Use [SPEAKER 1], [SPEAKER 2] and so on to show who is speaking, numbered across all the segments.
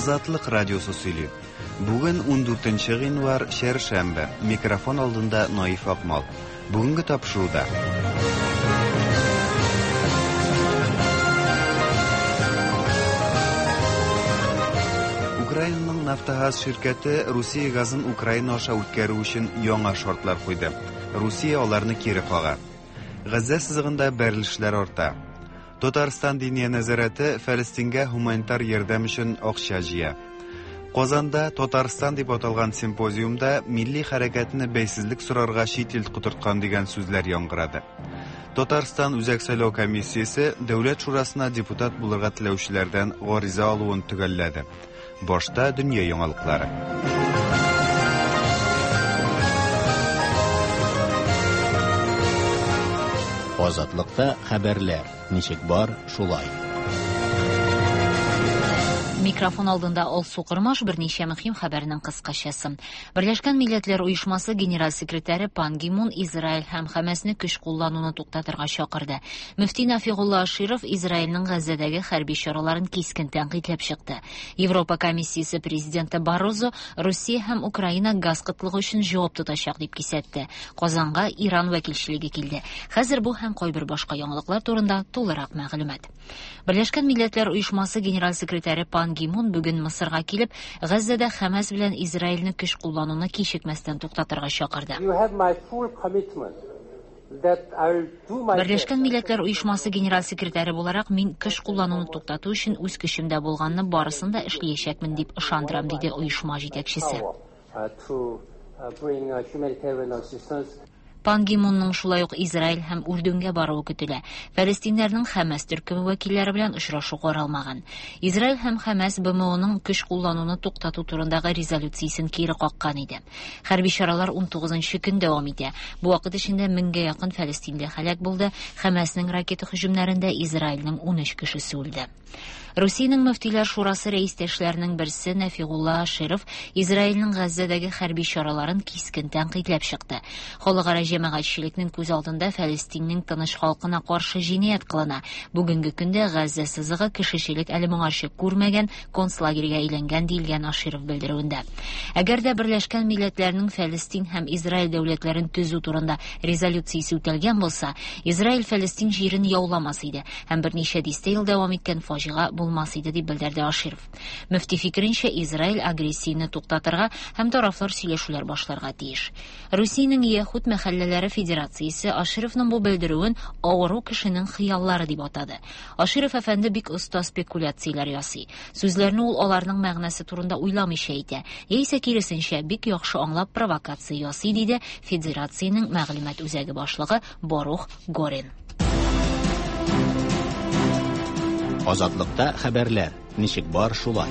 [SPEAKER 1] Азатлык радиосы сөйли. Бүген 14 гыйнвар, чәршәмбе. Микрофон алдында Наиф Акмал. Бүгенге тапшыруда. Украинаның Нафтогаз ширкәте Русия газын Украина аша үткәрү өчен яңа шартлар куйды. Русия аларны кире кага. Газзә сызыгында бәрелешләр арта. Татарстан Диния нәзарәте Фәлестингә һуманитар ярдәм өчен акча җыя. Казанда Татарстан дип аталган симпозиумда милли хәрәкәтне бәйсезлек сорарга чит ил котырткан дигән сүзләр яңгырады. Татарстан Үзәк сайлау комиссиясе Дәүләт шурасына депутат булырга теләүчеләрдән гариза алуын төгәлләде. Башта дөнья яңалыклары.
[SPEAKER 2] Азатлыкта хәбәрләр ничек бар, шулай.
[SPEAKER 3] Микрофон алдында Алсу Кормаш берничә мөһим хәбәрнең кыскачасы. Берләшкән Милләтләр Оешмасы генераль секретаре Пан Ги Мун Израиль һәм Хәмәсне көч куллануны туктатырга чакырды. Мөфти Нафигулла Аширов Израильнең Газзәдәге хәрби чараларын кискен тәнкыйтьләп чыкты. Европа комиссиясе президенты Баррозо Русия һәм Украина газ кытлыгы өчен җавап тотачак дип кисәтте. Казанга Иран вәкилчелеге килде. Хәзер бу һәм кайбер башка яңалыклар турында тулырак мәгълүмат. Берләшкән Милләтләр Оешмасы генераль секретаре Пан Ги Мун бүген Мысырга килеп, Газзәдә Хәмәс белән Израильне көч куллануны кичекмәстән туктатырга чакырды. Берләшкән Милләтләр Оешмасы генераль секретаре буларак мин көч куллануны туктату өчен үз көчемдә булганны барысын да эшлиячәкмен дип ышандырам, диде оешма җитәкчесе. Пан Ги Мунның шулай ук Израиль һәм Үрдүнгә баруы көтелә. Фәлестиннәрнең Хәмәс төркеме вәкилләре белән очрашу каралмаган. Израиль һәм Хәмәс БМОның көч куллануны туктату турындагы резолюциясен кире каккан иде. Хәрби чаралар 19 көн дәвам итә. Бу вакыт эчендә меңгә якын фәлестинле һәлак булды. Хәмәснең ракета һөҗүмнәрендә Израильнең 13 кешесе үлде. Русиянең мөфтиләр шурасы рәистәшләренең берсе Нәфигулла Аширов Израильнең Газзәдәге хәрби чараларын кискен тәнкыйтьләп чыкты. Халыкара җәмәгатьчелекнең күз алдында Фәлестиннең тыныч халкына каршы җинаять кылына. Бүгенге көндә Газзә сызыгы кешечелек әле моңарчы күрмәгән концлагерьгә әйләнгән диелгән Аширов белдерүендә. Әгәр дә Берләшкән Милләтләрнең Фәлестин һәм Израиль дәүләтләрен төзү турында резолюциясе үтәлгән булса, Израиль Фәлестин җирен яуламас иде һәм берничә дистә ел дәвам иткән фаҗига булмас иде дип белдерде Аширов. Мөфти фикеренчә, Израиль агрессияне туктатырга һәм тарафлар сөйләшүләр башларга тиеш. Русиянең Яһүд мәхәлләләре федерациясе Ашировның бу белдерүен авыру кешенең хыяллары дип атады. Аширов әфәнде бик оста спекуляцияләр ясый. Сүзләрне ул аларның мәгънәсе турында уйламыйча әйтә, яисә киресенчә, бик яхшы аңлап провокация ясый, диде федерациянең мәгълүмат үзәге башлыгы Барух Горин.
[SPEAKER 2] Азатлыкта хәбәрләр ничек бар шулай.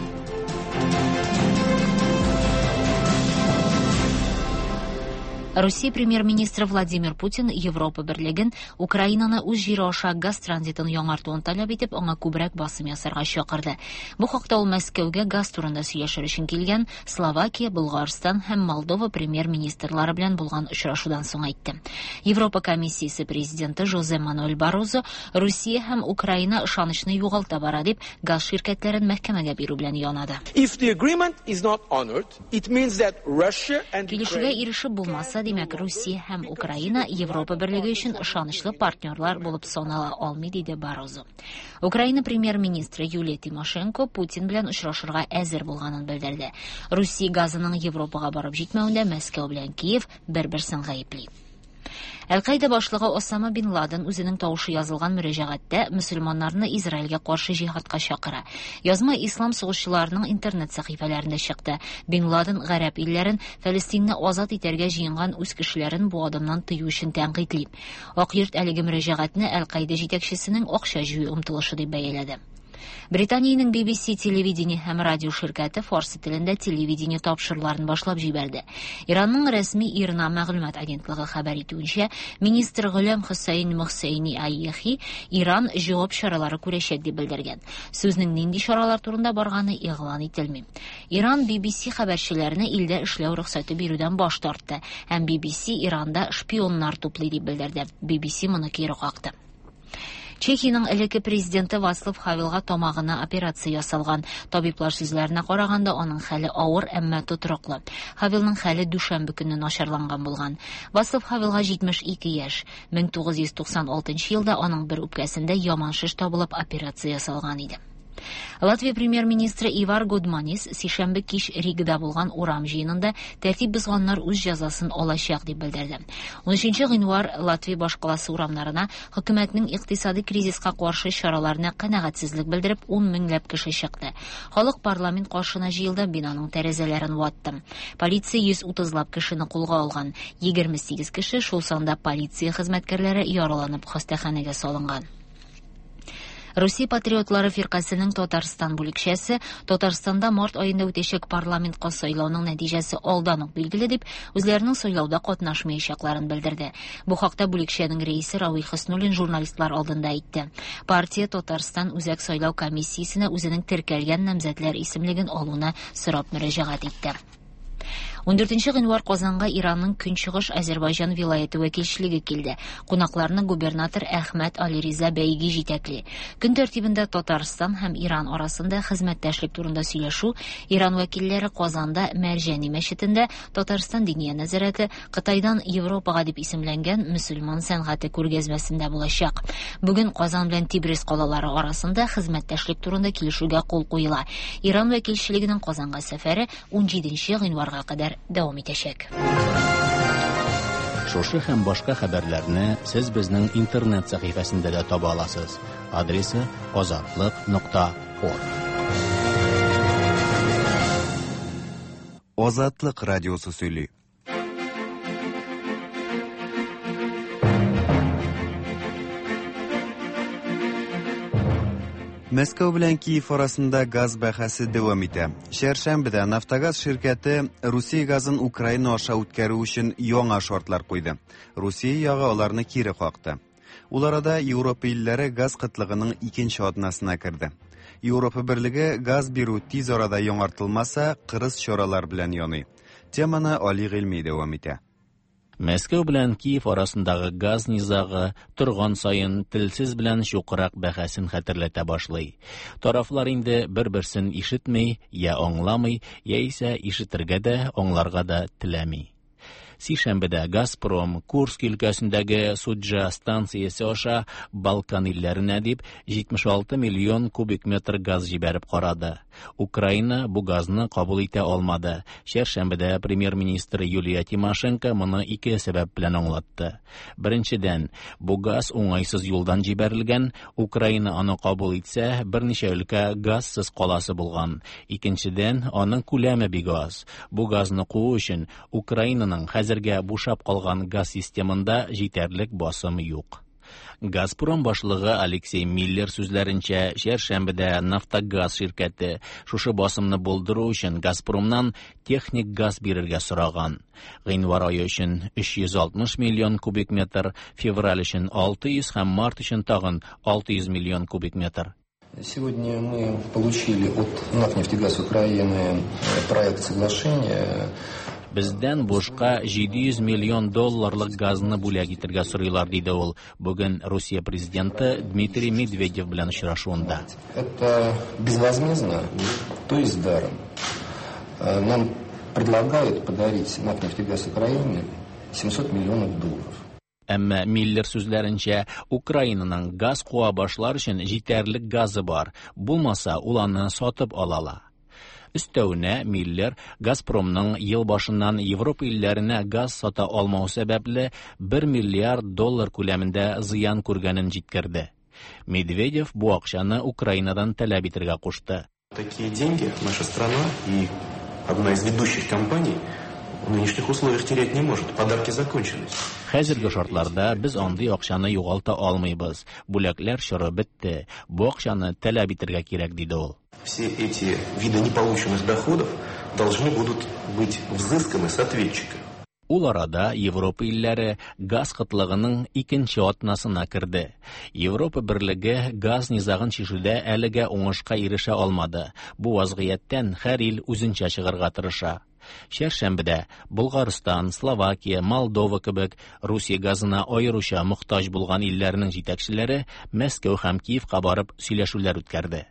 [SPEAKER 3] Русия премьер-министры Владимир Путин Европа берлеген Украинаны үз җире аша газ транзитын яңартуын таләп итеп, аңа күбрәк басым ясарга чакырды. Бу хакта ул Мәскәүгә газ турында сөйләшер өчен килгән Словакия, Болгарстан һәм Молдова премьер-министрлары белән булган очрашудан соң әйтте. Европа комиссиясе президенты Жозе Мануэль Баррозо Русия һәм Украина ышанычны югалта бара дип, газ ширкәтләрен мәхкәмәгә бирү белән янады.
[SPEAKER 4] If the agreement is not honored, it means that Russia and
[SPEAKER 3] Килешүгә ирешеп булмаса, димәк, Русия һәм Украина Европа берлеге өчен ышанычлы партнерлар булып санала алмый, диде Баррозо. Украина премьер-министры Юлия Тимошенко Путин белән очрашырга әзер булганын белдерде. Русия газының Европага барып җитмәвендә Мәскәү белән Киев бер-берсен гаепли. Әл-Каида башлыгы Осама бин Ладен үзенең тавышы язылган мөрәҗәгатьтә мөселманнарны Израильгә каршы җиһадка чакыра. Язма ислам сугышчыларының интернет сәхифәләрендә чыкты. Бин Ладен гарәп илләрен Фәлестинне азат итәргә җыенган үз кешеләрен бу адымнан тыю өчен тәнкыйтьли. Ак йорт әлеге мөрәҗәгатьне Әл-Каида җитәкчесенең акча җыю омтылышы дип бәяләде. Британиянең BBC телевидение һәм радио ширкәте фарсы телендә телевидение тапшыруларын башлап җибәрде. Иранның рәсми ИРНА мәгълүмат агентлыгы хәбәр итүенчә, министр Гөләм Хөсәйн Мөхсәйни Айехи Иран җавап чаралары күрәчәк дип белдергән. Сүзнең нинди чаралар турында барганы игълан ителми. Иран BBC хәбәрчеләренә илдә эшләү рөхсәте бирүдән баш тартты һәм BBC Иранда шпионнар туплый дип белдерде. BBC моны кире какты. Чехиянең элекке президенты Вацлав Хавелга тамагына операция ясалган. Табиблар сүзләренә караганда, аның хәле авыр, әмма тотрыклы. Хавелның хәле дүшәмбе көнне начарланган булган. Вацлав Хавелга 72 яшь. 1996 елда аның бер үпкәсендә яман шеш табылып, операция ясалган иде. Латвия премьер-министры Ивар Годманис сишәмбе кич Ригада булган урам җыенында тәртип бозганнар үз җәзасын алачак дип белдерде. 13 гыйнвар Латвия башкаласы урамнарына хөкүмәтнең икътисади кризиска каршы чараларына канәгатьсезлек белдереп 10 меңләп кеше чыкты. Халык парламент каршына җыелды, бинаның тәрәзәләрен ватты. Полиция 130лап кешене кулга алган. 28 кеше, шул санда полиция хезмәткәрләре, яраланып хастаханәгә салынган. Русия патриотлары фиркасының Татарстан бүлекчәсе Татарстанда март аенда үтәчәк парламентка сайлауның нәтиҗәсе алдан ук билгеле дип, үзләренең сайлауда катнашмаячакларын белдерде. Бу хакта бүлекчәнең рәисе Равил Хөснуллин журналистлар алдында әйтте. Партия Татарстан Үзәк сайлау комиссиясенә үзенең теркәлгән намзәтләр исемлеген алуны сорап мөрәҗәгать итте. 14 гыйнвар Казанга Иранның Көнчыгыш Азербайҗан вилаяте вәкилчелеге килде. Кунакларны губернатор Әхмәт Алириза Бәйги җитәкли. Көн тәртибендә Татарстан һәм Иран арасында хезмәттәшлек турында сөйләшү, Иран вәкилләре Казанда Мәрҗани мәчетендә Татарстан Диния нәзарәте Кытайдан Европага дип исемләнгән мөселман сәнгате күргәзмәсендә булачак. Бүген Казан белән Тибрис калалары арасында хезмәттәшлек турында килешүгә кул куела. Иран вәкилчелегенең Казанга сәфәре 17 гыйнварга кадәр дәвам итәчәк.
[SPEAKER 2] Шушы һәм башка хәбәрләрне сез безнең интернет сәхифәсендә дә таба аласыз. Адресы azatliq.org.
[SPEAKER 1] Азатлык радиосы сөйли. Мәскәү белән Киев арасында газ бәхәсе дәвам итә. Чәршәмбедә Нафтогаз ширкәте Русия газын Украина аша үткәрү өчен яңа шартлар куйды. Русия ягы аларны кире какты. Ул арада Европа илләре газ кытлыгының икенче атнасына керде. Европа берлеге газ бирү тиз арада яңартылмаса, кырыс чаралар белән яный. Теманы Али Гыйльми дәвам итә.
[SPEAKER 2] Мәскәү белән Киев арасындагы газ низагы торган саен телсез белән чукрак бәхәсен хәтерләтә башлый. Тарафлар инде бер-берсен ишетми, я аңламый, яисә ишетергә дә, аңларга да теләми. Сишәмбедә Газпром Курск өлкәсендәге Суджа станциясе аша Балкан илләренә дип 76 миллион кубик метр газ җибәреп карады. Украина бу газны кабул итә алмады. Чәршәмбедә премьер-министр Юлия Тимошенко моны ике сәбәп белән аңлатты. Беренчедән, бу газ уңайсыз юлдан җибәрелгән, Украина аны кабул итсә, берничә өлкә газсыз каласы булган. Икенчедән, аның күләме бик аз. Бу газны куу өчен Украинаның хәзергә бушап калган газ системында җитәрлек басым юк. Газпром башлыгы Алексей Миллер сүзләренчә, чәршәмбедә Нафтогаз ширкәте шушы басымны булдыру өчен Газпромнан техник газ бирергә сораган. Гыйнвар ае өчен 360 миллион кубик метр, февраль өчен 600 һәм март өчен тагын 600 миллион кубик метр.
[SPEAKER 5] Сегодня мы получили от НАК «Нефтегаз Украины» проект соглашения.
[SPEAKER 2] Бездән бушка 700 миллион долларлык газны бүләк итәргә сорыйлар, диде ул бүген Русия президенты Дмитрий Медведев белән очрашуында.
[SPEAKER 5] Это безвозмездно, то есть даром. Нам предлагают подарить НАК «Нефтегаз Украины» 700 миллионов долларов.
[SPEAKER 2] Әмма Миллер сүзләренчә, Украинаның газ куа башлар өчен җитәрлек газы бар, булмаса ул аны сатып ала ала. Өстәвенә Миллер Газпромның ел башыннан Европа илләренә газ сата алмау сәбәпле 1 миллиард доллар күләмендә зыян күргәнен җиткерде. Медведев бу акчаны Украинадан таләп итәргә кушты.
[SPEAKER 6] Такие деньги наша страна и одна из ведущих компаний в нынешних условиях терять не может. Подарки закончились.
[SPEAKER 2] Хәзерге шартларда без андый акчаны югалта алмыйбыз. Бүләкләр чоры бетте. Бу акчаны таләп итәргә кирәк, диде ул.
[SPEAKER 6] Все эти виды неполученных доходов должны будут быть взысканы с ответчика.
[SPEAKER 2] Ул арада Европа илләре газ кытлыгының икенче атнасына керде. Европа берлеге газ низагын чишүдә әлегә уңышка ирешә алмады. Бу вазгыятьтән һәр ил үзенчә чыгарга тырыша. Чәршәмбедә Болгарстан, Словакия, Молдова кебек Русия газына аеруча мохтаҗ булган илләрнең җитәкчеләре Мәскәү һәм Киевка барып сөйләшүләр үткәрде.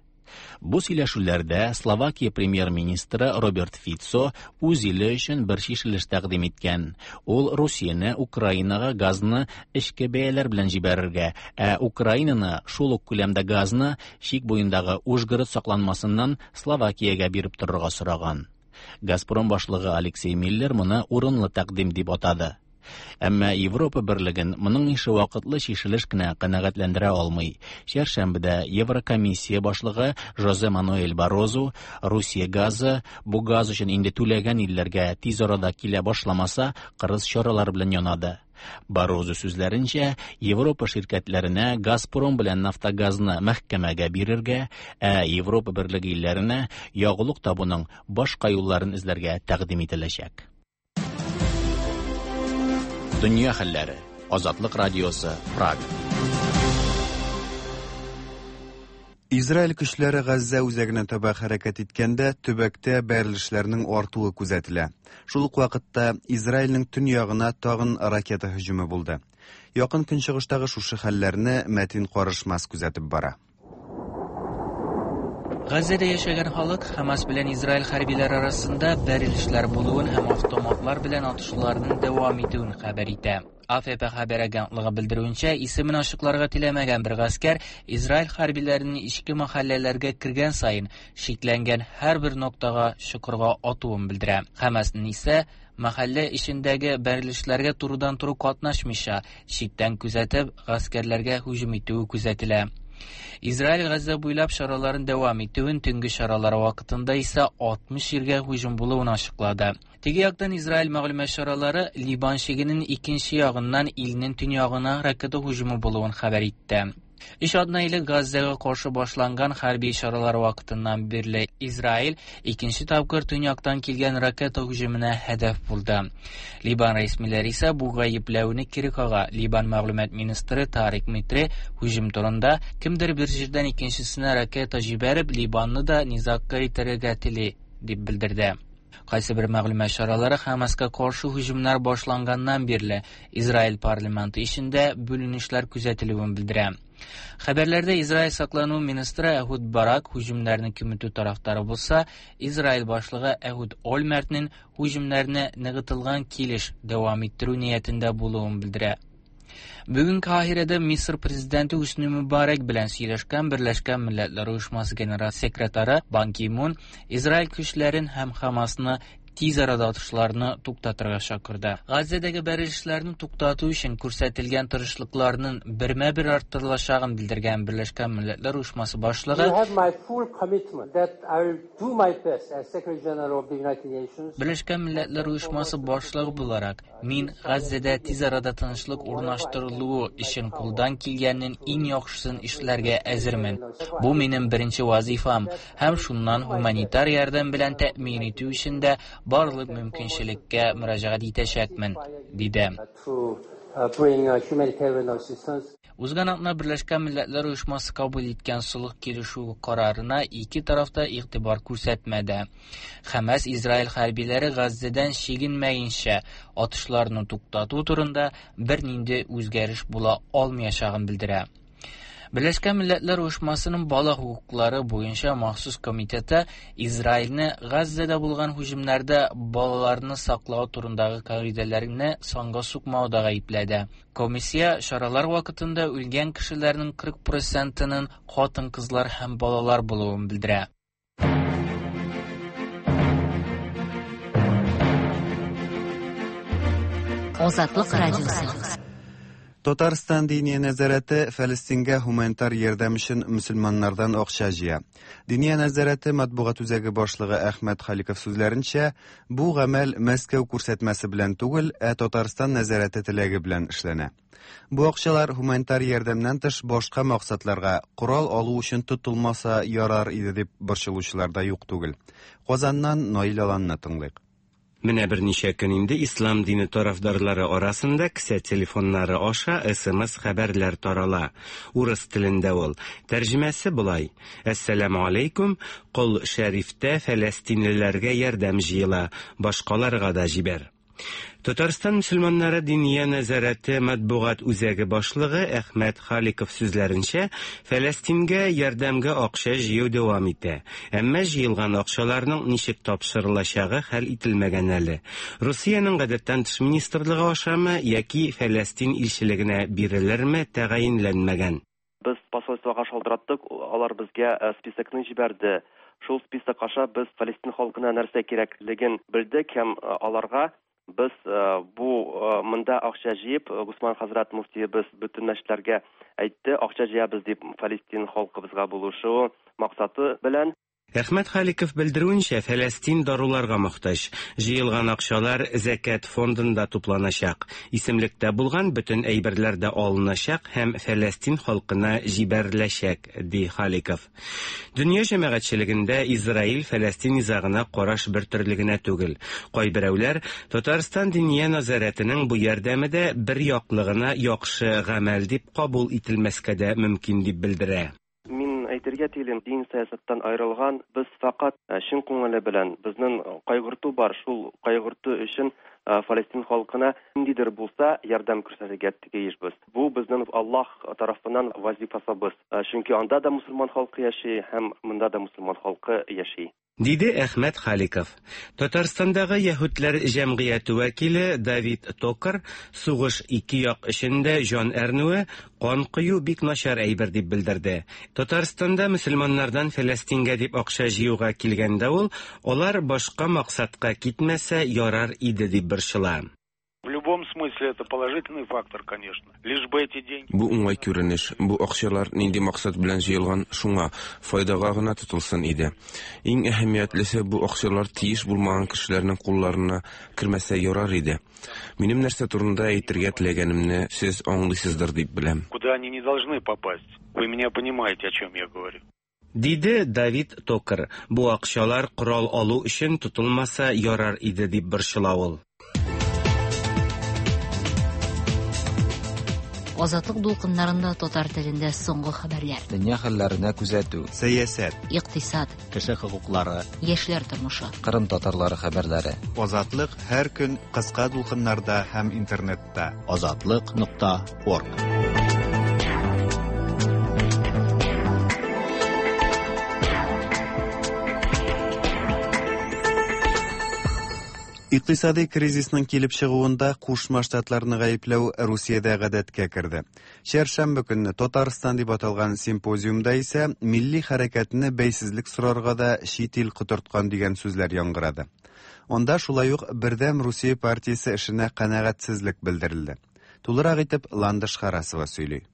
[SPEAKER 2] Бу сөйләшүләрдә Словакия премьер-министры Роберт Фицо үз иле өчен бер чишелеш тәкъдим иткән. Ул Русияне Украинага газны эчке бәяләр белән җибәрергә, ә Украинаны шул ук күләмдә газны чик буендагы Ужгород сакланмасыннан Словакиягә биреп торырга сораган. Газпром башлыгы Алексей Миллер моны урынлы тәкъдим дип атады. Әмма Европа берлеген моның ише вакытлы чишелеш кенә канәгатьләндерә алмый. Чәршәмбедә Еврокомиссия башлыгы Жозе Мануэль Баррозу Русия газы бу газ өчен инде түләгән илләргә тиз арада килә башламаса, кырыс чаралар белән янады. Баррозу сүзләренчә, Европа ширкәтләренә Газпром белән Нафтогазны мәхкәмәгә бирергә, ә Европа берлеге илләренә ягулык табуның башка юлларын эзләргә тәкъдим ителәчәк. Дөнья хәлләре. Азатлык радиосы, Прага.
[SPEAKER 1] Израиль көчләре Газзә үзәгенә таба хәрәкәт иткәндә, төбәктә бәрелешләрнең артуы күзәтелә. Шул ук вакытта Израильнең төньягына тагын ракета һөҗүме булды. Якын Көнчыгыштагы шушы хәлләрне Мәтин Карышмас күзәтеп бара.
[SPEAKER 7] Газзәдә яшәгән халык Хамас белән Израиль хәрбиләре арасында бәрелешләр булуын һәм автоматлар белән атышуларның дәвам итүен хәбәр итә. АФП хәбәр агентлыгы белдерүенчә, исемен ачыкларга теләмәгән бер гаскәр Израиль хәрбиләренең ичке мәхәлләләргә кергән саен шикләнгән һәрбер ноктага чокырга атуын белдерә. Хамасның исә мәхәллә эчендәге бәрелешләргә турыдан-туры катнашмыйча, читтән күзәтеп, гаскәрләргә һөҗүм итүе күзәтелә. Израиль Газзә буйлап чараларын дәвам итүен, төнге чаралар вакытында исә 60 җиргә һөҗүм булуын ачыклады. Теге яктан Израиль мәгълүмат чаралары Либан чигенең икенче ягыннан илнең төньягына ракета һөҗүме булуын хәбәр итте. Өч атна элек Газзәгә каршы башланган хәрби чаралар вакытыннан бирле Израиль икенче тапкыр төньяктан килгән ракета һөҗүменә һәдәф булды. Либан рәсмиләре исә бу гаепләүне кире кага. Либан мәгълүмат министры Тарик Митре һөҗүм турында кемдер бер җирдән икенчесенә ракета җибәреп Либанны да низагка итәргә тели дип белдерде. Кайсы бер мәгълүмат чаралары Хамаска каршы һөҗүмнәр башланганнан бирле Израиль парламенты эчендә бүленешләр күзәтелүен белдерә. Хәбәрләрдә Израиль саклану министры Әһүд Барак һөҗүмнәрне киметү тарафдары булса, Израиль башлыгы Әһүд Ольмертнең һөҗүмнәрне ныгытылган килеш дәвам иттерү ниятендә булуын белдерә. Бүген Каһирәдә Мисыр президенты Хөсни Мөбарәк белән сөйләшкән Берләшкән Милләтләр Оешмасы генераль секретаре Бан Ки Мун Израиль көчләрен һәм Хамасны тиз арада атышларны туктатырга чакырды. Газзәдәге бәрелешләрне туктату өчен күрсәтелгән тырышлыкларның бермә-бер арттырылачагын белдергән Берләшкән Милләтләр Оешмасы башлыгы Берләшкән Милләтләр Оешмасы башлыгы буларак, Мин Газзәдә тиз арада тынычлык урнаштырылуы өчен кулдан килгәннең иң яхшысын эшләргә әзермен. Бу минем беренче вазыйфам һәм шуннан һуманитар ярдәм белән тәэмин итү өчен дә барлык мөмкинчелеккә мөрәҗәгать итәчәкмен, диде. Узган атна Берләшкән Милләтләр Оешмасы кабул иткән солых килешүе карарына ике тараф та игътибар күрсәтмәде. Хәмәс Израиль хәрбиләре Газзәдән чигенмәенчә атышларны туктату турында бернинди үзгәреш була алмаячагын белдерә. Берләшкән Милләтләр Оешмасының бала хокуклары буенча махсус комитеты Израильне Газзәдә булган һөҗүмнәрдә балаларны саклау турындагы кагыйдәләрне санга сукмауда гаепләде. Комиссия чаралар вакытында үлгән кешеләрнең 40 процентының хатын-кызлар һәм балалар булуын белдерә.
[SPEAKER 3] Азатлык радиосы.
[SPEAKER 1] Татарстан Диния нәзарәте Фәлестингә һуманитар ярдәм өчен мөселманнардан акча җыя. Диния нәзарәте матбугат үзәге башлыгы Әхмәт Халиков сүзләренчә, бу гамәл Мәскәү күрсәтмәсе белән түгел, ә Татарстан нәзарәте теләге белән эшләнә. Бу акчалар һуманитар ярдәмнән тыш башка максатларга, корал алу өчен тотылмаса ярар иде дип борчылучылар да юк түгел. Казаннан Наил Аланны тыңлыйк.
[SPEAKER 8] Менә берничә көн инде ислам дине тарафдарлары арасында кесә телефоннары аша СМС-хәбәрләр тарала. Урыс телендә ул. Тәрҗемәсе болай: Әссәламү алейкум, Кол Шәрифтә фәләстинлеләргә ярдәм җыела, башкаларга да җибәр. Татарстан мөселманнары Диния нәзарәте матбугат үзәге башлыгы Әхмәт Халиков сүзләренчә, Фәләстингә ярдәмгә акча җыю дәвам итә. Әмма җыелган акчаларның ничек тапшырылачагы хәл ителмәгән әле. Русиянең гадәттән тыш министрлыгы ашамы яки Фәләстин илчелегенә бирелерме, тәгаенләнмәгән.
[SPEAKER 9] Без посольствога шалтыраттык, алар безгә списокны җибәрде. Шул список аша без Фәлестин халкына нәрсә кирәклеген белдек һәм аларга без бу монда акча җыеп, Госман хәзрәт мөфтиебез бөтен мәчетләргә әйтте, акча җыябыз дип Фәлестин халкыбызга булышу максаты белән.
[SPEAKER 8] Әхмәт Халиков белдерүенчә, Фәләстин даруларга мохтаҗ. Җыелган акчалар Зәкят фондында тупланачак. Исемлектә булган бөтен әйберләр дә алыначак һәм Фәләстин халкына җибәреләчәк, ди Халиков. Дөнья җәмәгатьчелегендә Израиль-Фәләстин низагына караш бертөрле генә түгел. Кайберәүләр, Татарстан Диния нәзарәтенең бу ярдәме дә бер яклы гына яхшы гамәл дип кабул ителмәскә дә мөмкин дип белдерә.
[SPEAKER 9] Мин әйтергә телим, дин сәясәттән аерылган, без фәкать чын күңеле белән, безнең кайгырту бар, шул кайгырту өчен Фалестин халкына ниндидер булса ярдәм күрсәтергә тиешбез. Бу безнең Аллаһ тарафыннан вазифасыбыз. Чөнки анда да мусульман халкы яши һәм монда да мусульман халкы яши.
[SPEAKER 8] Диде Әхмәт Халиков. Татарстандагы яһүдләр җәмгыяте вәкиле Давид Токар сугыш ике як өчен дә җан әрнүе, кан кою бик начар әйбер дип белдерде. Татарстанда мөселманнардан Фәләстингә дип акча җыюга килгәндә ул, алар башка максатка китмәсә ярар иде дип борчыла.
[SPEAKER 10] В любом смысле это положительный фактор, конечно. Лишь бы эти деньги...
[SPEAKER 6] Бу уңай күренеш. Бу акчалар нинди максат белән җыелган, шуңа, файдага гына тотылсын иде. Иң әһәмиятлесе, бу акчалар тиеш булмаган кешеләрнең кулларына кермәсә ярар иде. Минем нәрсә турында әйтергә теләгәнемне сез аңлыйсыздыр дип беләм.
[SPEAKER 10] Куда они не должны попасть. Вы меня понимаете, о чем я говорю.
[SPEAKER 8] Диде Давид Токар. Бу акчалар корал алу өчен тотылмаса ярар иде дип борчыла ул.
[SPEAKER 3] Азатлык дулкыннарында татар телендә соңгы хәбәрләр.
[SPEAKER 11] Дөнья хәлләренә күзәтү.
[SPEAKER 1] Сәясәт.
[SPEAKER 3] Икътисад.
[SPEAKER 2] Кеше хокуклары.
[SPEAKER 3] Яшьләр тормышы.
[SPEAKER 11] Кырым татарлары хәбәрләре.
[SPEAKER 1] Азатлык һәр көн кыска дулкыннарда һәм интернетта.
[SPEAKER 2] Азатлык.орг.
[SPEAKER 1] Икътисади кризисның килеп чыгуында Кушма Штатларны гаепләү Русиядә гадәткә керде. Чәршәмбе көнне Татарстан дип аталган симпозиумда исә милли хәрәкәтне бәйсезлек сорарга да чит ил котырткан дигән сүзләр яңгырады. Анда шулай ук Бердәм Русия партиясе эшенә канәгатьсезлек белдерелде. Тулырак итеп Ландыш Харасова сөйли.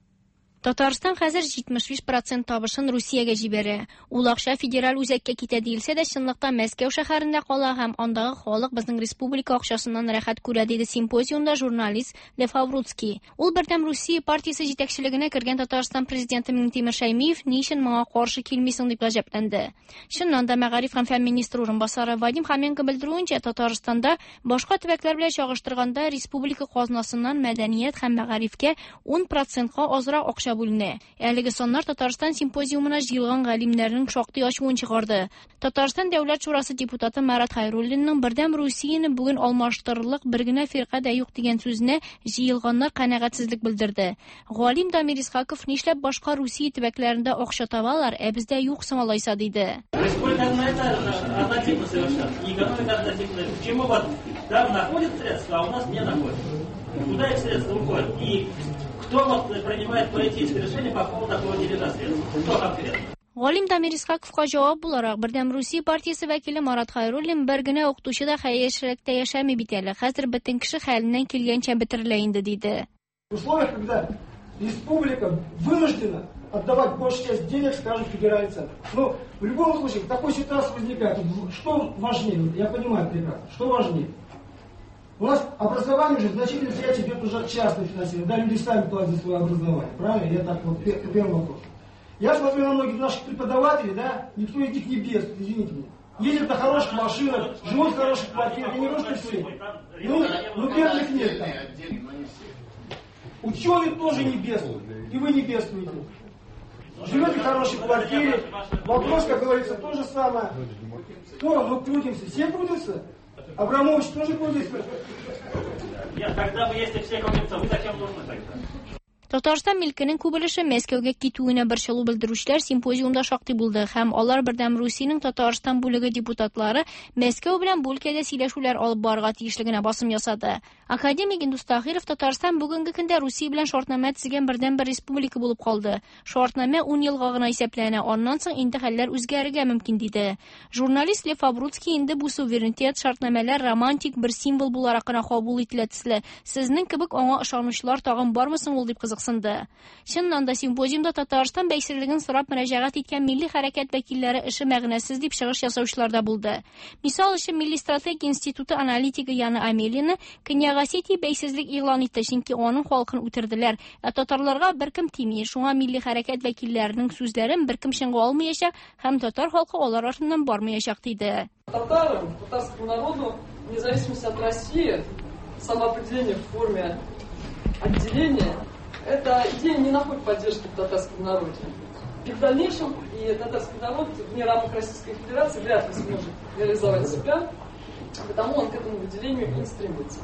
[SPEAKER 12] Татарстан хәзер 75 процент табышын Русиягә җибәрә. Ул акча федераль үзәккә китә диелсә дә, чынлыкта Мәскәү шәһәрендә кала һәм андагы халык безнең республика акчасыннан рәхәт күрә, диде симпозиумда журналист Лев Авруцкий. Ул Бердәм Русия партиясе җитәкчелегенә кергән Татарстан президенты Миңтимер Шәймиев ни өчен моңа каршы килмисең дип гаҗәпләнде. Чыннан да мәгариф һәм фән министры урынбасары Вадим Хоменко белдерүенчә, Татарстанда башка төбәкләр белән чагыштырганда республика казнасыннан мәдәният һәм мәгарифкә 10 процентка азрак акча бүленә. Әлеге саннар Татарстан симпозиумына җыелган галимнәрнең шактый ачуын чыгарды. Татарстан Дәүләт шурасы депутаты Марат Хайруллинның Бердәм Русияне бүген алмаштырырлык бер генә фирка да юк дигән сүзенә җыелганнар канәгатьсезлек белдерде. Галим Дамир Исхаков нишләп башка Русия төбәкләрендә акча табалар, ә бездә юк соң алайса диде.
[SPEAKER 13] Республика однотипна совершенно. И экономика однотипная. Почему вот там находят средства, а у нас не находят? Куда эти средства уходят? И кто вот принимает политическое решение по поводу такого дележа средств? Кто конкретно?
[SPEAKER 12] Галим Дамир Исхаковка җавап буларак Бердәм Русия партиясе вәкиле Марат Хайруллин бер генә укытучы да хәерчелектә яшәми бит әле. Хәзер бөтен кеше хәленнән килгәнчә бетерелә инде, диде.
[SPEAKER 14] В условиях, когда республика вынуждена отдавать большую часть денег, скажем, федеральный центр. Но в любом случае, в такой ситуации возникает, что важнее, я понимаю прекрасно, что важнее. У нас образование уже значительно часть идет уже частное финансирование. Да, люди сами платят за свое образование. Правильно? Я так вот, первый вопрос. Я смотрю на многих наших преподавателей, да, никто из них не бес, извините меня. Ездят на хороших машинах, живут в хороших квартирах. Я не говорю, что все. Ну, бедных нет там. Ученые тоже не бедствуют. И вы не бедствуете. Живете в хорошей квартире. Вопрос, как говорится, то же самое. Кто? Мы крутимся. Все крутятся? Абрамович тоже крутится?
[SPEAKER 13] Нет, тогда вы, если все крутятся, вы зачем нужны тогда?
[SPEAKER 12] Татарстан милкенең күп өлеше Мәскәүгә китүенә борчылу белдерүчеләр симпозиумда шактый булды һәм алар Бердәм Русиянең Татарстан бүлеге депутатлары Мәскәү белән бу өлкәдә сөйләшүләр алып барырга тиешлегенә басым ясады. Академик Индус Таһиров Татарстан бүгенге көндә Русия белән шартнамә төзегән бердәнбер республика булып калды. Шартнамә 10 елга гына исәпләнә, аннан соң инде хәлләр үзгәрергә мөмкин диде. Журналист Лев Абруцкий инде бу суверенитет шартнамәләр романтик бер символ буларак кына кабул ителә төсле. Сезнең кебек аңа ышанучылар тагын бармы соң ул дип кызыксынды. Чыннан да симпозиумда Татарстан бәйсезлеген сорап мөрәҗәгать иткән милли хәрәкәт вәкилләре эше мәгънәсез дип чыгыш ясаучылар да булды. Мисал өчен Милли стратегия институты аналитигы Яна Амелина Көньяк Осетия бәйсезлек игълан итте, чөнки аның халкын үтерделәр. Ә татарларга беркем тими. Шуңа милли хәрәкәт вәкилләренең сүзләрен беркем чынга алмаячак һәм татар халкы алар артыннан бармаячак диде.
[SPEAKER 15] Татарам, татарскому народу, вне зависимости от России, самоопределение в форме отделения, эта идея не находит поддержки в татарском народе. И в дальнейшем и татарский народ вне рамок Российской Федерации вряд ли сможет реализовать себя, потому он к этому выделению и не стремится.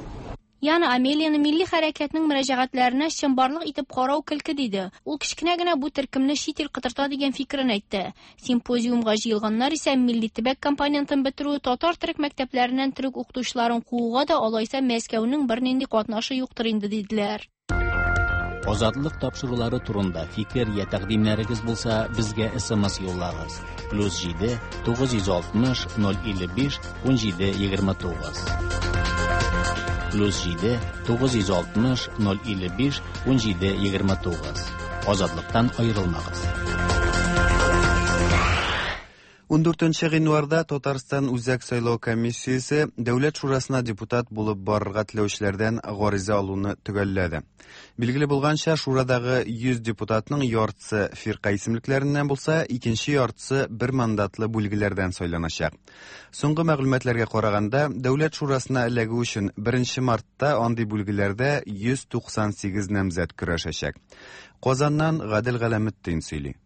[SPEAKER 12] Яна Амелияны милли хәрәкәтнең мөрәҗәгатьләренә чынбарлык итеп карау көлке диде. Ул кечкенә генә бу төркемне чит ил котырта дигән фикерен әйтте. Симпозиумга җыелганнар исә милли төбәк компонентын бетерү, татар төрек мәктәпләреннән төрек укытучыларын кууга да алайса Мәскәүнең бернинди катнашы юктыр инде диделәр.
[SPEAKER 2] Азатлык тапшырулары турында фикер я тәкъдимнәрегез булса, безгә SMS юллагыз. +7 960 055 17 29. +7 960 055 17 29. Азатлыктан аерылмагыз.
[SPEAKER 1] 14 гыйнварда Татарстан Үзәк сайлау комиссиясе Дәүләт шурасына депутат булып барырга теләүчеләрдән гариза алуны төгәлләде. Билгеле булганча, шурадагы 100 депутатның яртысы фирка исемлекләреннән булса, икенче яртысы бер мандатлы бүлгеләрдән сайланачак. Соңгы мәгълүматларга караганда, Дәүләт шурасына эләгү өчен 1 мартта андый бүлгеләрдә 198 намзәт көрәшәчәк. Казаннан Гадел Галәметдин сөйли.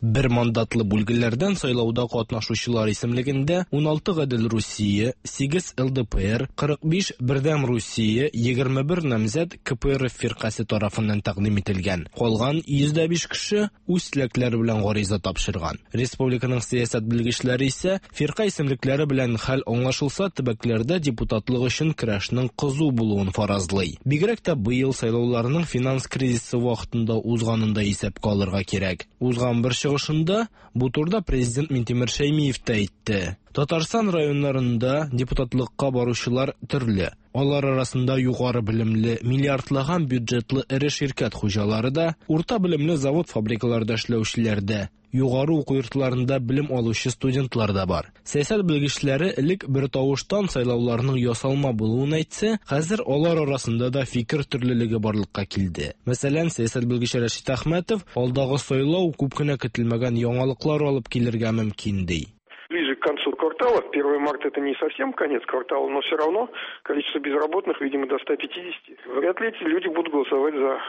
[SPEAKER 16] Бер мандатлы бүлгеләрдән сайлауда катнашучылар исемлегендә 16 Гадел Русия, 8 ЛДПР, 45 Бердәм Русия, 21 намзәт КПРФ фиркасе тарафыннан тәкъдим ителгән. Калган 105 кеше үз теләкләре белән гариза тапшырган. Республиканың сәясәт белгечләре исә фирка исемлекләре белән хәл аңлашылса, төбәкләрдә депутатлык өчен көрәшнең кызу булуын фаразлый. Бигрәк тә быел сайлауларның финанс кризисы вакытында узганын да исәпкә алырга кирәк. Узган бер чыгышында бу турыда президент Минтимер Шәймиев тә әйтте. Татарстан районнарында депутатлыкка баручылар төрле. Алар арасында югары белемле, миллиардлаган бюджетлы эре ширкәт хуҗалары да, урта белемле завод-фабрикаларда эшләүчеләр дә, югары уку йортларында белем алучы студентлар да бар. Сәясәт белгечләре элек бер тавыштан сайлауларның ясалма булуын әйтсә, хәзер алар арасында да фикер төрлелеге барлыкка килде. Мәсәлән, сәясәт белгече Рәшит Әхмәтов алдагы сайлау күп кенә көтелмәгән яңалыклар алып килергә мөмкин ди.
[SPEAKER 17] Ближе к концу квартала, 1 марта это не совсем конец квартала, но все равно количество безработных, видимо, до 150. Вряд ли эти люди будут голосовать за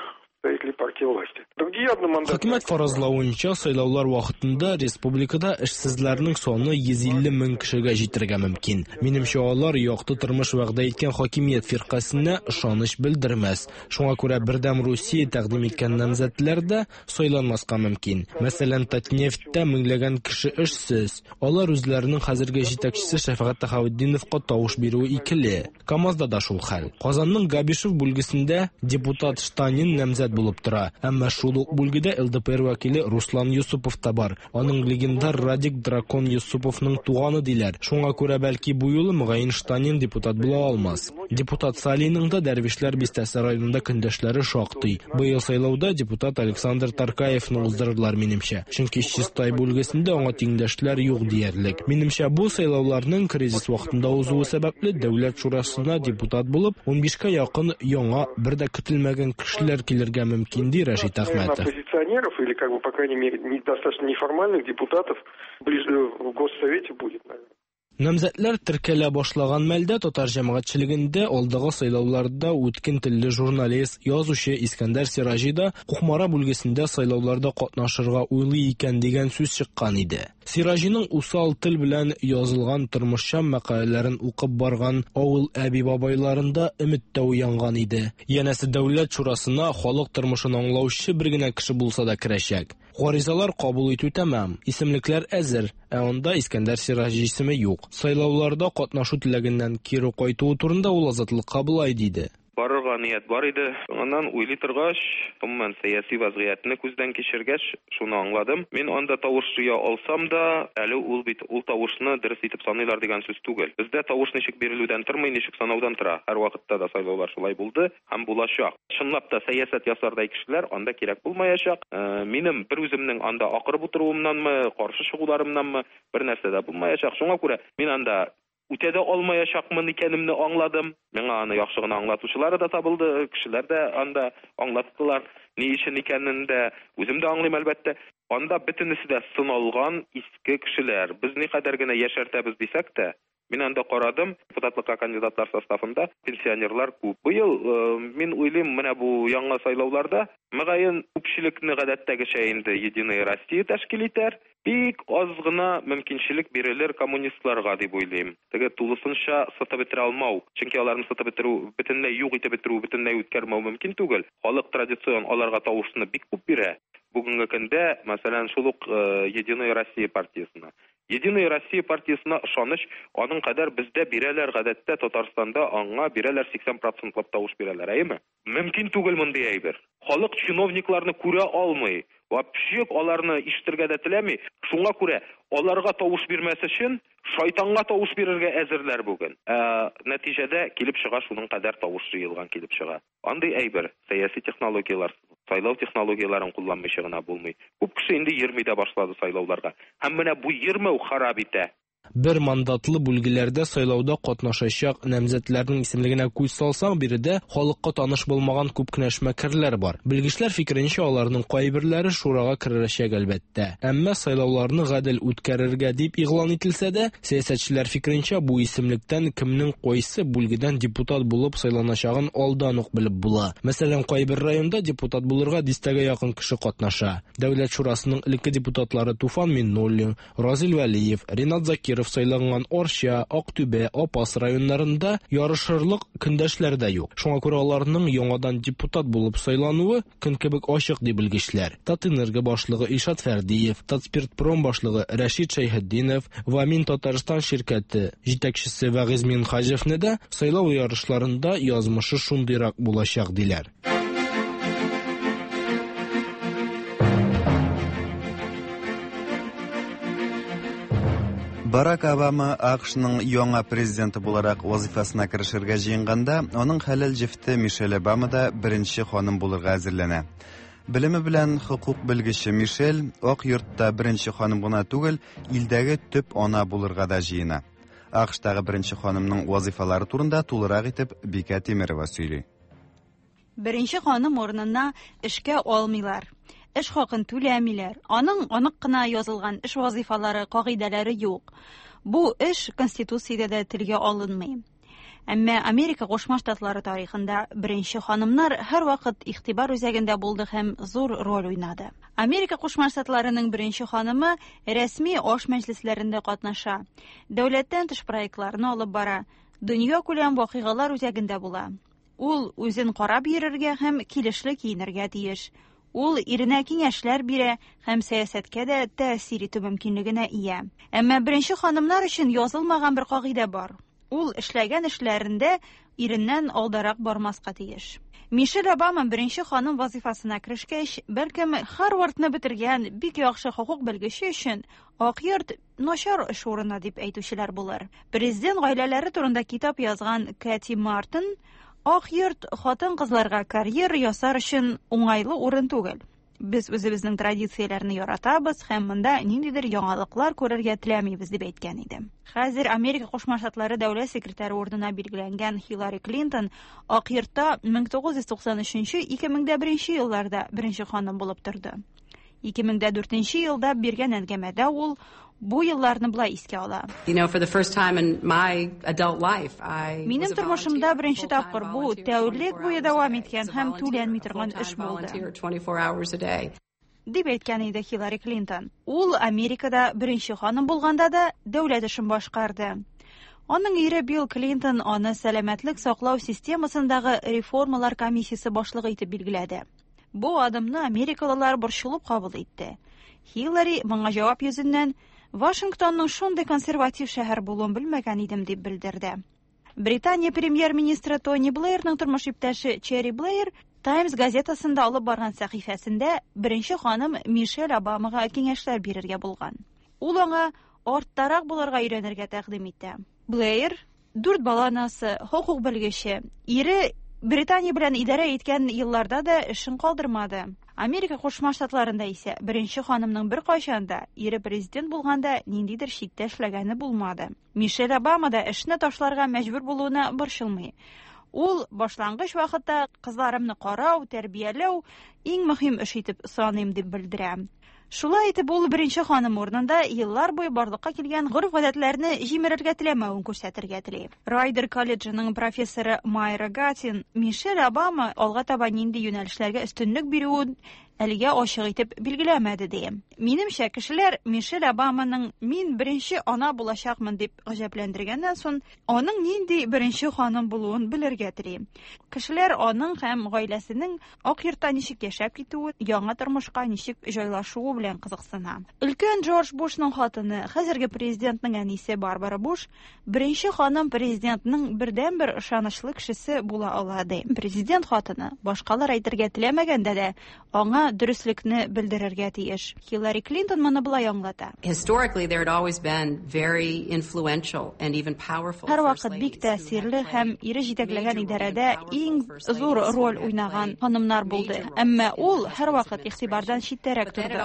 [SPEAKER 17] представителей партии власти. Другие одномандатные...
[SPEAKER 16] Хөкүмәт фаразлавынча, сайлаулар вакытында республикада эшсезләрнең саны 150 мең кешегә җитәргә мөмкин. Минемчә, алар якты тормыш вәгъдә иткән хакимият фиркасенә ышаныч белдермәс. Шуңа күрә Бердәм Русия тәкъдим иткән намзәтләр дә сайланмаска мөмкин. Мәсәлән, Татнефтьтә меңләгән кеше эшсез. Алар үзләренең хәзерге җитәкчесе Шәфәгать Тәхаветдиновка тавыш бирүе икеле. КАМАЗда да шул хәл. Казанның Габишев бүлгесендә депутат Штанин намзәт булып тора. Әмма шул ук бүлгедә ЛДПР вәкиле Руслан Юсупов та бар. Аның легендар Радик Дракон Юсуповның туганы диләр. Шуңа күрә бәлки бу юлы мөгаен Штанин депутат була алмас. Депутат Салиның да Дәрвишләр бистәсе районында көндәшләре шактый. Быел сайлауда депутат Александр Таркаевны уздырырлар минемчә. Чөнки Чистай бүлгесендә аңа тиңдәшләр юк диярлек. Минемчә, бу сайлауларның кризис вакытында узуы сәбәпле Дәүләт шурасына депутат булып 15-кә якын яңа бер дә көтелмәгән кешеләр килергә мөмкин, ди Рәшит Әхмәтов.
[SPEAKER 17] Оппозиционеров или, как бы, по крайней мере, недостаточно неформальных депутатов ближе в Госсовете будет, наверное.
[SPEAKER 16] Намзәтләр теркәлә башлаган мәлдә татар җәмәгатьчелегендә алдагы сайлауларда үткен телле журналист, язучы Искәндәр Сираҗи да Кукмара бүлгесендә сайлауларда катнашырга уйлый икән дигән сүз чыккан иде. Сираҗиның усал тел белән язылган тормышчан мәкаләләрен укып барган авыл әби-бабайларында өмет тә уянган иде. Янәсе Дәүләт шурасына халык тормышын аңлаучы бер генә кеше булса да керәчәк. Гаризалар кабул итү тәмам, исемлекләр әзер, ә анда Искәндәр Сираҗи исеме юк. Сайлауларда катнашу теләгеннән кире кайтуы турында ул Азатлыкка болай диде.
[SPEAKER 18] Барырга ният бар иде. Соңыннан уйлый торгач, гомумән, сәяси вазгыятьне күздән кичергәч, шуны аңладым, мин анда тавыш җыя алсам да, әле ул бит ул тавышны дөрес итеп саныйлар дигән сүз түгел. Бездә тавыш ничек бирелүдән тормый, ничек санаудан тора. Һәрвакытта да сайлаулар шулай булды һәм булачак. Чынлап та сәясәт ясардай кешеләр анда кирәк булмаячак. Минем бер үземнең анда акырып утыруымнанмы, каршы чыгуларымнанмы, бер нәрсә дә булмаячак. Шуңа күрә мин анда үтә дә алмаячакмын икәнемне аңладым. Миңа аны яхшы гына аңлатучылары да табылды, кешеләр дә анда аңлаттылар. Ни өчен икәнен дә үзем дә аңлыйм, әлбәттә. Анда бөтенесе дә сыналган иске кешеләр. Без никадәр генә яшәртәбез дисәк тә, мин анда карадым, депутатлыкка кандидатлар составында пенсионерлар күп. Быел, мин уйлыйм, менә бу яңа сайлауларда, мөгаен, күпчелекне гадәттәгечә инде Единая Россия тәшкил итәр. Бик аз гына мөмкинчелек бирелер коммунистларга дип уйлыйм. Теге тулысынча сытып бетерә алмау, чөнки аларны сытып бетерү, бөтенләй юк итеп бетерү, бөтенләй үткәрмәү мөмкин түгел. Халык традицион аларга тавышны бик күп бирә. Бүгенге көндә, мәсәлән, шул ук Единая Россия партиясенә. Единая Россия партиясенә ышаныч аның кадәр бездә бирәләр гадәттә Татарстанда аңа бирәләр 80 процентлап тавыш бирәләр, әйеме? Мөмкин түгел мондый әйбер. Халык чиновникларны күрә алмый. Вообще аларны ишетергә дә теләми. Шуңа күрә аларга тавыш бирмәс өчен шайтанга тавыш бирергә әзерләр бүген. Ә нәтиҗәдә килеп чыга шуның кадәр тавыш җыелган килеп чыга. Андый әйбер сәяси технологияләр, сайлау технологияләрен кулланмыйча гына булмый. Күп кеше инде йөрми дә башлады сайлауларга. Һәм менә бу йөрмәү харап итә.
[SPEAKER 16] Бер мандатлы бүлгеләрдә сайлауда катнашачак намзәтләрнең исемлегенә күз салсаң, биредә халыкка таныш булмаган күп кенә эшмәкәрләр бар. Белгечләр фикеренчә, аларның кайберләре шурага керәчәк, әлбәттә. Әмма сайлауларны гадел үткәрергә дип игълан ителсә дә, сәясәтчеләр фикеренчә, бу исемлектән кемнең кайсы бүлгедән депутат булып сайланачагын алдан ук белеп була. Мәсәлән, кайбер районда депутат булырга дистәгә якын кеше катнаша. Дәүләт шурасының элекке депутатлары Туфан Миннуллин, Разил Вәлиев, Ринат Закиров сайланган Арча, Актүбә, Апас районнарында ярышырлык көндәшләр дә юк. Шуңа күрә аларның яңадан депутат булып сайлануы көн кебек ачык, ди белгечләр. Татэнерго башлыгы Илшат Фәрдиев, Татспиртпром башлыгы Рәшит Шәйхетдинов, Вамин Татарстан ширкәте җитәкчесе Вагиз Минһаҗевны да сайлау ярышларында язмышы шундыйрак булачак, диләр.
[SPEAKER 1] Барак Обама АКШның яңа президенты буларак вазифасына керешергә җыенганда, аның хәләл җефте Мишель Обама да беренче ханым булырга әзерләнә. Белеме белән хокук белгече Мишель Ак йортта беренче ханым гына түгел, илдәге төп ана булырга да җыена. АКШтагы беренче ханымның вазифалары турында тулырак итеп Бикә Тимерова сөйли.
[SPEAKER 19] Беренче ханым урынына эшкә алмыйлар. Эш хакын түләмиләр. Аның анык кына язылган эш вазифалары, кагыйдәләре юк. Бу эш Конституциядә дә телгә алынмый. Әмма Америка Кушма Штатлары тарихында беренче ханымнар һәрвакыт игътибар үзәгендә булды һәм зур роль уйнады. Америка Кушма Штатларының беренче ханымы рәсми аш мәҗлесләрендә катнаша, дәүләттән тыш проектларны алып бара, дөньякүләм вакыйгалар үзәгендә була. Ул үзен карап йөрергә һәм килешле киенергә тиеш. Ул иренә киңәшләр бирә һәм сәясәткә дә тәэсир итү мөмкинлегенә ия. Әмма беренче ханымнар өчен язылмаган бер кагыйдә бар. Ул эшләгән эшләрендә иреннән алдарак бармаска тиеш. Мишель Обама беренче ханым вазифасына керешкәч, бәлкем Харвардны бетергән бик яхшы хокук белгече өчен Ак йорт начар эш урыны дип әйтүчеләр булыр. Президент гаиләләре турында китап язган Кэти Мартин Ак йорт хатын-кызларга карьера ясар өчен уңайлы урын түгел. Без үзебезнең традицияләрне яратабыз һәм монда ниндидер яңалыклар күрергә теләмибез, дип әйткән иде. Хәзер Америка Кушма Штатлары дәүләт секретаре урынына билгеләнгән Хиллари Клинтон Ак йортта 1993-2001 елларда беренче ханым булып торды. 2004 елда биргән әңгәмәдә ул Бу елларны болай искә ала. Минем тормышымда беренче тапкыр бу тәүлек буе дәвам иткән һәм түләнми торган эш булды. Дип әйткән иде Хиллари Клинтон. Ул Америкада беренче ханым булганда да дәүләт эшен башкарды. Аның ире Билл Клинтон аны сәламәтлек саклау системасындагы реформалар комиссиясе башлыгы итеп билгеләде. Бу адымны америкалылар борчылып кабул итте. Хиллари моңа җавап йөзеннән Вашингтонның шундый консерватив шәһәр булуын белмәгән идем дип белдерде. Британия премьер-министры Тони Блэйрның тормыш иптәше Черри Блэйр Times газетасында алып барган сәхифәсендә беренче ханым Мишель Обамага киңәшләр бирергә булган. Ул аңа арттарак булырга өйрәнергә тәкъдим итә. Блэйр дүрт бала анасы, хокук белгече. Ире Британия белән идарә иткән елларда да эшен калдырмады. Америка Кушма Штатларында исә беренче ханымның беркайчан да ире президент булганда ниндидер читтә эшләгәне булмады. Мишель Обама да эшне ташларга мәҗбүр булуына борчылмый. Ул башлангыч вакытта кызларымны карау, тәрбияләү иң мөһим эш итеп саныйм дип белдерә. Шулай итеп, ул беренче ханым урынында еллар буе барлыкка килгән гореф-гадәтләрне җимерергә теләмәвен күрсәтергә тели. Райдер колледжының профессоры Майра Гатин Мишель Обама алга таба нинди юнәлешләргә өстенлек бирүен әлегә ачык итеп билгеләмәде, ди. Минемчә, кешеләр Мишель Обаманың мин беренче ана булачакмын дип гаҗәпләндергәннән соң, аның нинди беренче ханым булуын белергә тели. Кешеләр аның һәм гаиләсенең Ак йортта ничек яшәп китүе, яңа тормышка ничек җайлашуы белән кызыксына. Өлкән Джордж Бушның хатыны, хәзерге президентның әнисе Барбара Буш, беренче ханым президентның бердәнбер ышанычлы кешесе була ала, ди. Президент хатыны, башкалар әйтергә теләмәгәндә дә, аңа дөреслекне белдерергә тиеш. Хиллари Клинтон моны болай аңлата. Һәрвакыт бик тәэсирле һәм ире җитәкләгән идарәдә иң зур роль уйнаган ханымнар булды. Әмма ул һәрвакыт игътибардан читтәрәк торды.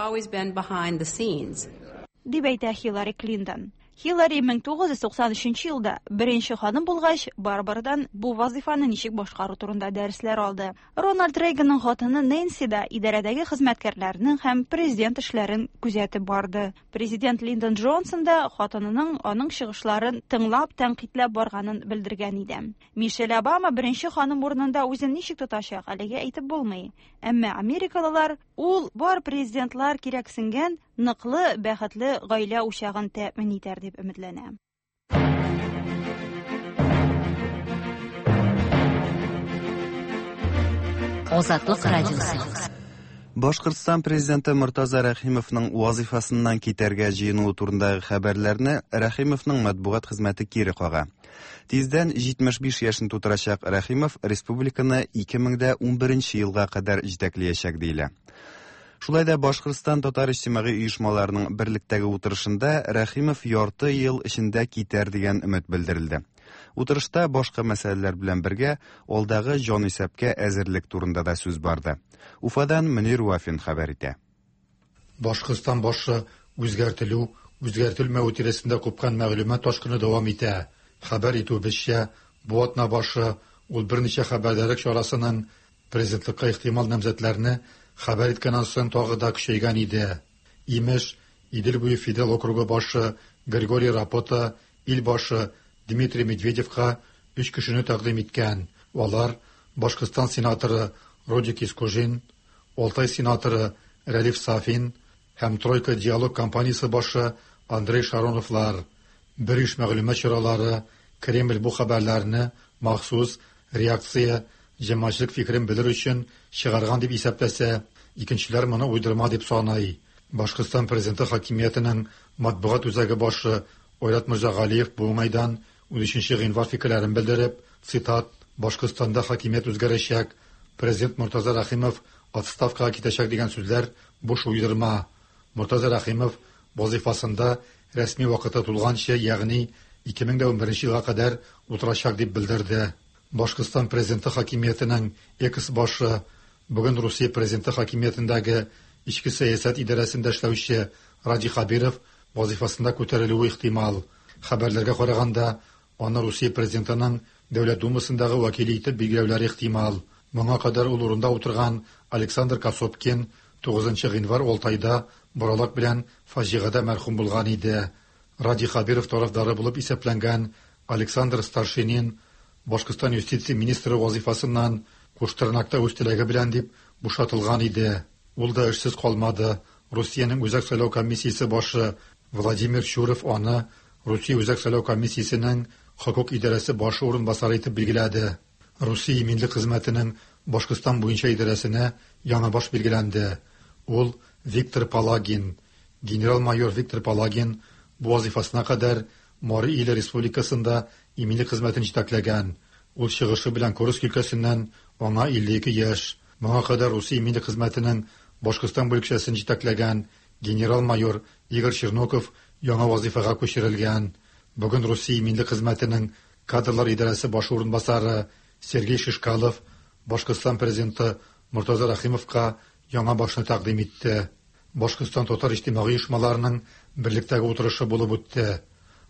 [SPEAKER 19] Дип әйтә Хиллари Клинтон. Хиллари 1993 елда беренче ханым булгач, Барбарадан бу вазыйфаны ничек башкару турында дәресләр алды. Рональд Рейганның хатыны Нэнси да идарәдәге хезмәткәрләрнең һәм президент эшләрен күзәтеп барды. Президент Линдон Джонсон да хатынының аның чыгышларын тыңлап, тәнкыйтьләп барганын белдергән иде. Мишель Обама беренче ханым урынында үзен ничек тотачак, әлегә әйтеп булмый. Әмма америкалылар ул бар президентлар кирәксенгән ныклы, бәхетле гаилә учагын тәэмин итәр дип өметләнә.
[SPEAKER 3] Азатлык радиосы.
[SPEAKER 1] Башкортстан президенты Мортаза Рәхимовның вазифасыннан китәргә җыенуы турындагы хәбәрләрне Рәхимовның матбугат хезмәте кире кага. Тиздән 75 яшен тутырачак Рәхимов республиканы 2011 елга кадәр җитәкләячәк диелә. Шулай да Башкортстан татар иҗтимагый оешмаларының берлектәге утырышында Рәхимов ярты ел эчендә китәр дигән өмет белдерелде. Утырышта башка мәсьәләләр белән бергә алдагы җанисәпкә әзерлек турында да сүз барды. Уфадан Мөнир Вафин хәбәр итә.
[SPEAKER 20] Башкортстан башы үзгәртелү, үзгәртелмәве тирәсендә купкан мәгълүмат ташкыны дәвам итә. Хәбәр итүебезчә, бу атна башы ул берничә хәбәрдарлык чарасының президентлыкка ихтимал намзәтләрне хәбәр иткәннән соң тагы да көчәйгән иде. Имеш, Идел буе федерал округы башы Григорий Рапота ил башы Дмитрий Медведевка өч кешене тәкъдим иткән. Алар Башкортстан сенаторы Родик Искужин, Алтай сенаторы Рәлиф Сафин һәм Тройка диалог компаниясе башы Андрей Шароновлар. Бер иш мәгълүмат чаралары Кремль бу хәбәрләрне махсус реакция җәмәгатьчелек фикерен белер өчен чыгарган дип исәпләсә, икенчеләр моны уйдырма дип саный. Башкортстан президенты хакимиятенең матбугат үзәге башы Айрат Мирзагалиев бу уңайдан 13 гыйнвар фикерләрен белдереп, цитат, Башкортстанда хакимият үзгәрәчәк, президент Мортаза Рәхимов отставкага китәчәк дигән сүзләр буш уйдырма. Мортаза Рәхимов вазифасында рәсми вакыты тулганчы, ягъни 2011 елга кадәр утырачак дип белдерде. Башкортстан президенты хакимиятенең экс башы, бүген Русия президенты хакимиятендәге эчке сәясәт идарәсендә эшләүче Радий Хәбиров вазифасында күтәрелүе ихтимал. Хәбәрләргә караганда, аны Русия президентының Дәүләт Думасындагы вәкиле итеп билгеләүләре ихтимал. Моңа кадәр ул урында утырган Александр Косопкин 9 гыйнвар Алтайда боралак белән фаҗигадә мәрхүм булган иде. Радий Хәбиров тарафдары булып исәпләнгән Александр Старшинин Башкортстан юстиция министры вазифасыннан куштырнакта үз теләге белән дип бушатылган иде. Ул да эшсез калмады. Русиянең Үзәк сайлау комиссиясе башы Владимир Чуров аны Русия Үзәк сайлау комиссиясенең хокук идарәсе башы урынбасары итеп билгеләде. Русия иминлек хезмәтенең Башкортстан буенча идарәсенә яңа баш билгеләнде. Ул Виктор Палагин. Генерал-майор Виктор Палагин бу вазифасына кадәр Мари Иле Республикасында иминлек хезмәтен җитәкләгән. Ул чыгышы белән Курск өлкәсеннән, аңа 52 яшь. Моңа кадәр Русия иминлек хезмәтенең Башкортстан бүлекчәсен җитәкләгән генерал-майор Игорь Черноков яңа вазифага күчерелгән. Бүген Русия иминлек хезмәтенең кадрлар идарәсе башы урынбасары Сергей Шишкалов Башкортстан президенты Мортаза Рәхимовка яңа башны тәкъдим итте. Башкортстан татар иҗтимагый оешмаларының берлектәге утырышы булып үтте.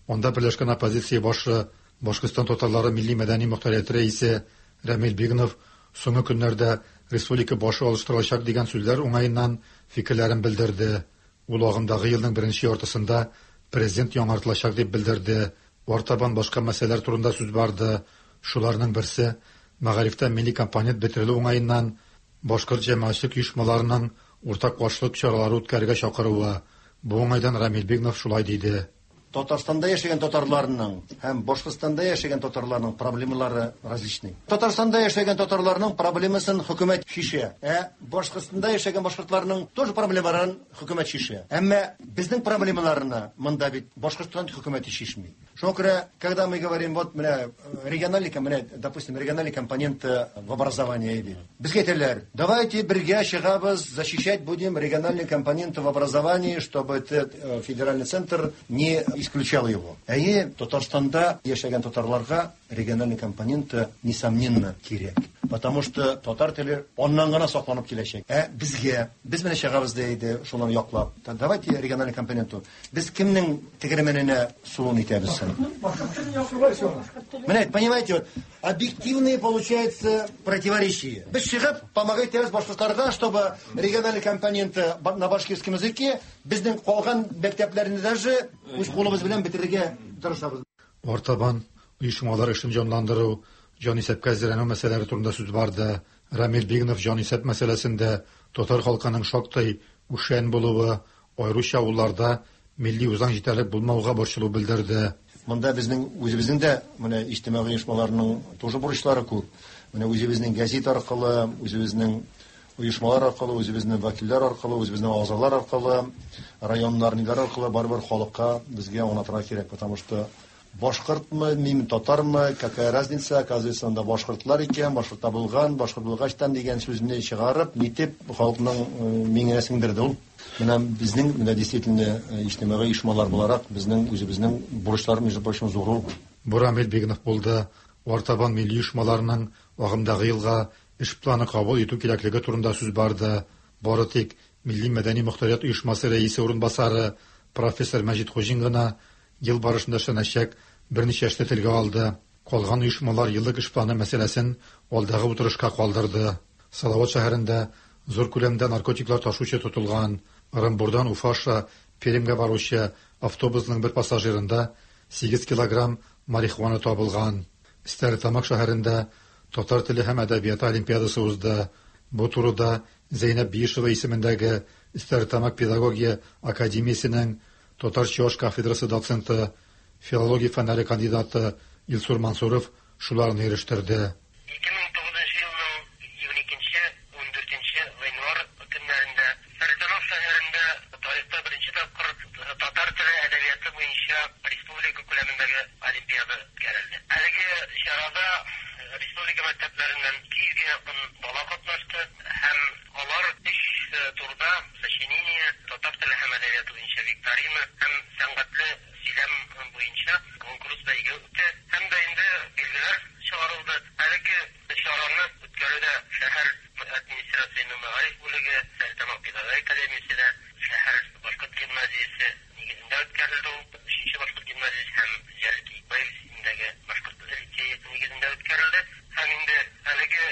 [SPEAKER 20] Анда берләшкән оппозиция башы Башкортстан татарлары милли-мәдәни мохтарияте рәисе Рәмил Бигнов соңгы көннәрдә республика башы алыштырылачак дигән сүзләр уңаеннан фикерләрен белдерде. Ул агымдагы елның беренче яртысында президент яңартылачак дип белдерде. Артабан башка мәсьәләләр турында сүз барды. Шуларның берсе мәгарифтә милли компонент бетерелү уңаеннан башкорт җәмәгатьчелек оешмаларының уртак каршылык чаралары үткәрергә чакыруы. Бу уңайдан Рамил Бигнов шулай диде.
[SPEAKER 21] Татарстанда яшәгән татарларның һәм Башкортстанда яшәгән татарларның проблемалары различный. Татарстанда яшәгән татарларның проблемасын хөкүмәт чишә, ә Башкортстанда яшәгән башкортларның тоже проблемаларын хөкүмәт чишә. Әмма безнең проблемаларны монда бит Башкортстан хөкүмәте чишми. Шуңа күрә, когда мы говорим, вот менә региональный, менә, допустим, региональный компонент в образовании бит. Безгә әйтәләр, давайте бергә чыгабыз, защищать будем региональный компонент в образовании, чтобы этот федеральный центр не исключал его. Әйе, Татарстанда яшәгән татарларга региональный компонент, несомненно, кирәк. Потому что татар теле аннан гына сакланып киләчәк. Ә безгә, без менә чыгабыз да иде шуларны яклап. Давайте региональный компоненту. Без кемнең тегермәненә суын итәбез соң? Менә, понимаете, вот объективные, получается, противоречия. Без чыгып, помогать итәбез башкортларга, чтобы региональный компонент на башкирском языке безнең калган мәктәпләрне даже үз кулыбыз белән бетерергә тырышабыз.
[SPEAKER 20] Артабан оешмалар эшен җанландыру, җанисәпкә әзерләнү мәсьәләләре турында сүз барды. Рамил Бигнов җанисәп мәсьәләсендә татар халкының шактый үшән булуы, аеруча авылларда милли үзаң җитәрлек булмауга борчылу белдерде.
[SPEAKER 21] Монда безнең үзебезнең дә менә иҗтимагый оешмаларның тоже бурычлары күп. Менә үзебезнең газет аркылы, үзебезнең оешмалар аркылы, үзебезнең вәкилләр аркылы, үзебезнең агзалар аркылы, районнар, ниләр аркылы барыбер халыкка безгә аңлатырга кирәк, потому что башкортмы, мин татармы, какая разница, оказывается, анда башкортлар икән, башкортта булган, башкорт булгачтан дигән сүзне чыгарып, нитеп халыкның миңенә сеңдерде ул. Менә безнең, менә действительно иҗтимагый оешмалар буларак безнең үзебезнең бурычлар, между прочим, зур ул.
[SPEAKER 20] Бу Рамил Бигнов булды. Артабан милли оешмаларның агымдагы елга эш планы кабул итү кирәклеге турында сүз барды. Бары тик Милли мәдәни мохтарият оешмасы рәисе урынбасары профессор Мәҗит Хуҗин гына ел барышында эшләнәчәк берничә эшне телгә алды. Калган оешмалар еллык эш планы мәсьәләсен алдагы утырышка калдырды. Салават шәһәрендә зур күләмдә наркотиклар ташучы тотылган. Ырынбурдан Уфа аша Пермьгә баручы автобусның бер пассажирында 8 килограмм марихуана табылган. Стәрлетамак шәһәрендә татар теле һәм әдәбияты олимпиадасы узды. Бу турыда Зәйнәб Биишева исемендәге Стәрлетамак педагогия академиясенең татар-чуаш кафедрасы доценты, филология фәннәре кандидаты Илсур Мансуров шуларны ирештерде.
[SPEAKER 22] 2009 елның 22-14 гыйнвар көннәрендә Стәрлетамак шәһәрендә тарихта беренче тапкыр татар теле әдәбияты буенча республика күләмендәге олимпиада үткәрелде. Әлеге чарада республика мәктәпләреннән 200 гә якын бала катнашты һәм алар өч турда сочинение, татар теле һәм әдәбияты буенча викторина һәм сәнгатьле сөйләм буенча конкурс бәйге үтте һәм дә инде билгеләр чыгарылды. Әлеге чараны үткәрүдә шәһәр администрациясенең мәгариф бүлеге, Стәрлетамак педагогия академиясе дә, шәһәр башкорт гимназиясе нигезендә үткәрелде ул. Өченче башкорт гимназиясе һәм Җәлил Киекбаев исемендәге башкорт лицее нигезендә үткәрелде. Һәм инде әлеге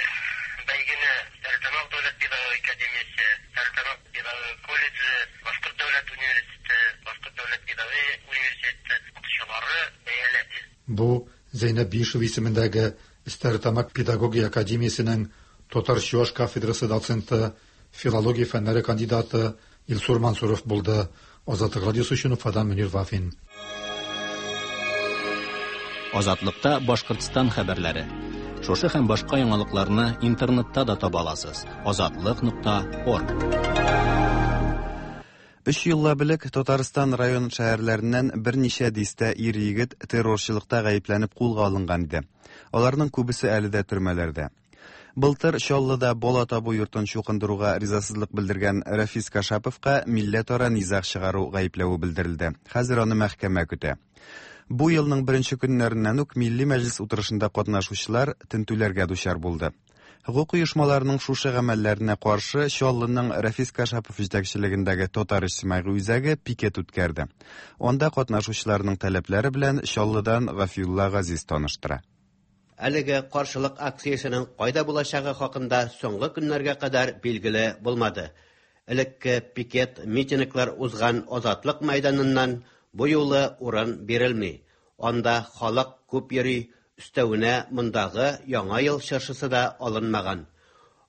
[SPEAKER 22] бәйгене Стәрлетамак дәүләт педагогия академиясе, Стәрлетамак педагогия колледжы, башкорт дәүләт университеты, Башкорт дәүләт педагогия университеты укытучылары бәяләде.
[SPEAKER 20] Бу Зәйнәб Биишева исемендәге Стәрлетамак педагогия академиясенең татар-чуаш кафедрасы доценты, филология фәннәре кандидаты Илсур Мансуров булды. Азатлык радиосы өчен Уфадан Мөнир Вафин.
[SPEAKER 2] Азатлыкта Башкортстан хәбәрләре. Шушы һәм башка яңалыкларны интернетта да таба аласыз. Азатлык.орг.
[SPEAKER 1] Өч еллап элек Татарстан район шәһәрләреннән берничә дистә ир-егет террорчылыкта гаепләнеп кулга алынган иде. Аларның күбесе әле дә төрмәләрдә. Былтыр Чаллыда бала табу йортын чукындыруга ризасызлык белдергән Рәфис Кашаповка милләтара низаг чыгару гаепләве белдерелде. Хәзер аны мәхкәмә көтә. Бу елның беренче көннәреннән үк Милли Мәҗлес утырышында катнашучылар тентүләргә дучар булды. Хокук оешмаларының шушы гамәлләренә каршы Чаллының Рәфис Кашапов җитәкчелегендәге Татар иҗтимагый үзәге пикет үткәрде. Анда катнашучыларның таләпләре белән Чаллыдан Гафиулла Газиз таныштыра.
[SPEAKER 4] Әлеге каршылык акциясенең кайда булачагы хакында соңгы көннәргә кадәр билгеле булмады. Элекке пикет, митинглар узган Азатлык мәйданыннан бу юлы урын бирелми. Анда халык күп йөри, өстәвенә мондагы Яңа ел чыршысы да алынмаган.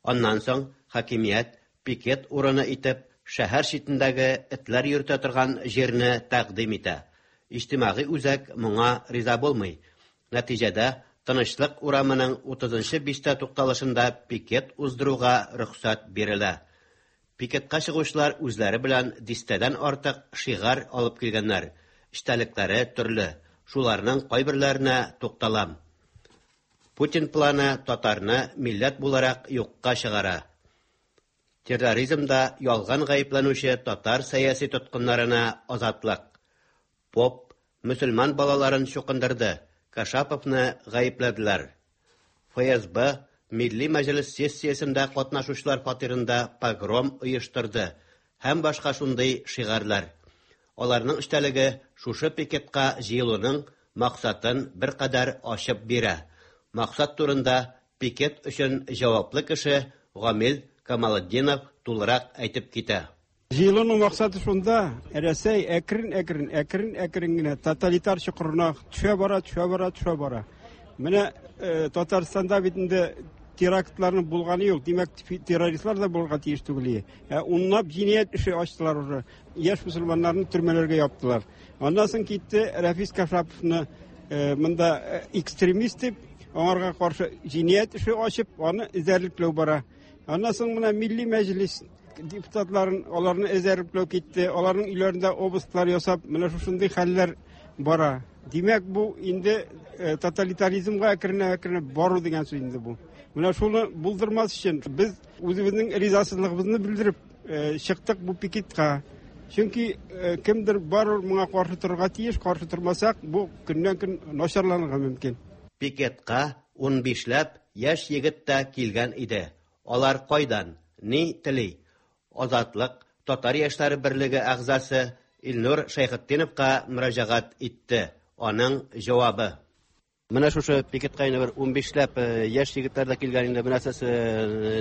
[SPEAKER 4] Аннан соң хакимият пикет урыны итеп шәһәр читендәге этләр йөртә торган җирне тәкъдим итә. Иҗтимагый үзәк моңа риза булмый. Нәтиҗәдә, Тынычлык урамының утызынчы бистә тукталышында пикет уздыруга рөхсәт бирелә. Пикетка чыгучылар үзләре белән дистәдән артык шигарь алып килгәннәр, эчтәлекләре төрле, шуларның кайберләренә тукталам. Путин планы татарны милләт буларак юкка чыгара. Терроризмда ялган гаепләнүче татар сәяси тоткыннарына азатлык. Поп мөселман балаларын чукындырды, Кашаповны гаепләделәр. ФСБ Милли Мәҗлес сессиясендә катнашучылар фатирында погром оештырды һәм башка шундый шигарьләр. Аларның эчтәлеге шушы пикетка җыелуның максатын беркадәр ачып бирә. Максат турында пикет өчен җаваплы кеше Гамил Камалетдинов тулырак әйтеп китә.
[SPEAKER 5] Җыелуның максаты шунда, Рәсәй әкрен-әкрен, әкрен-әкрен генә тоталитар чокырына төшә бара, төшә бара, төшә бара. Менә э, Татарстанда бит инде терактларның булганы юк. Димәк, террористлар да булырга тиеш түгел. Ә унлап җинаять эше ачтылар уже. Яшь мөселманнарны төрмәләргә яптылар. Аннан соң китте Рәфис Кашаповны э, монда э, экстремист дип, аңарга каршы җинаять эше ачып, аны эзәрлекләү бара. Аннан соң менә Милли Мәҗлис депутатларын аларны эзәрлекләү китте, аларның өйләрендә обысклар ясап, менә шушындый хәлләр бара. Димәк, бу инде э, тоталитаризмга әкренләп-әкренләп бару дигән сүз инде бу. Менә шуны булдырмас өчен без үзебезнең ризасызлыгыбызны белдереп э, чыктык бу пикетка. Чөнки э, кемдер барыбер моңа каршы торырга тиеш, каршы тормасак, бу көннән-көн начарланырга мөмкин.
[SPEAKER 4] Пикетка унбишләп яшь егет тә килгән иде. Алар кайдан, ни тели? Азатлык Татар яшьләре берлеге әгъзасы Илнур Шәйхетдиновка мөрәҗәгать итте. Аның җавабы. Менә шушы пикетка инде бер унбишләп яшь егетләр дә килгән инде. Менә сез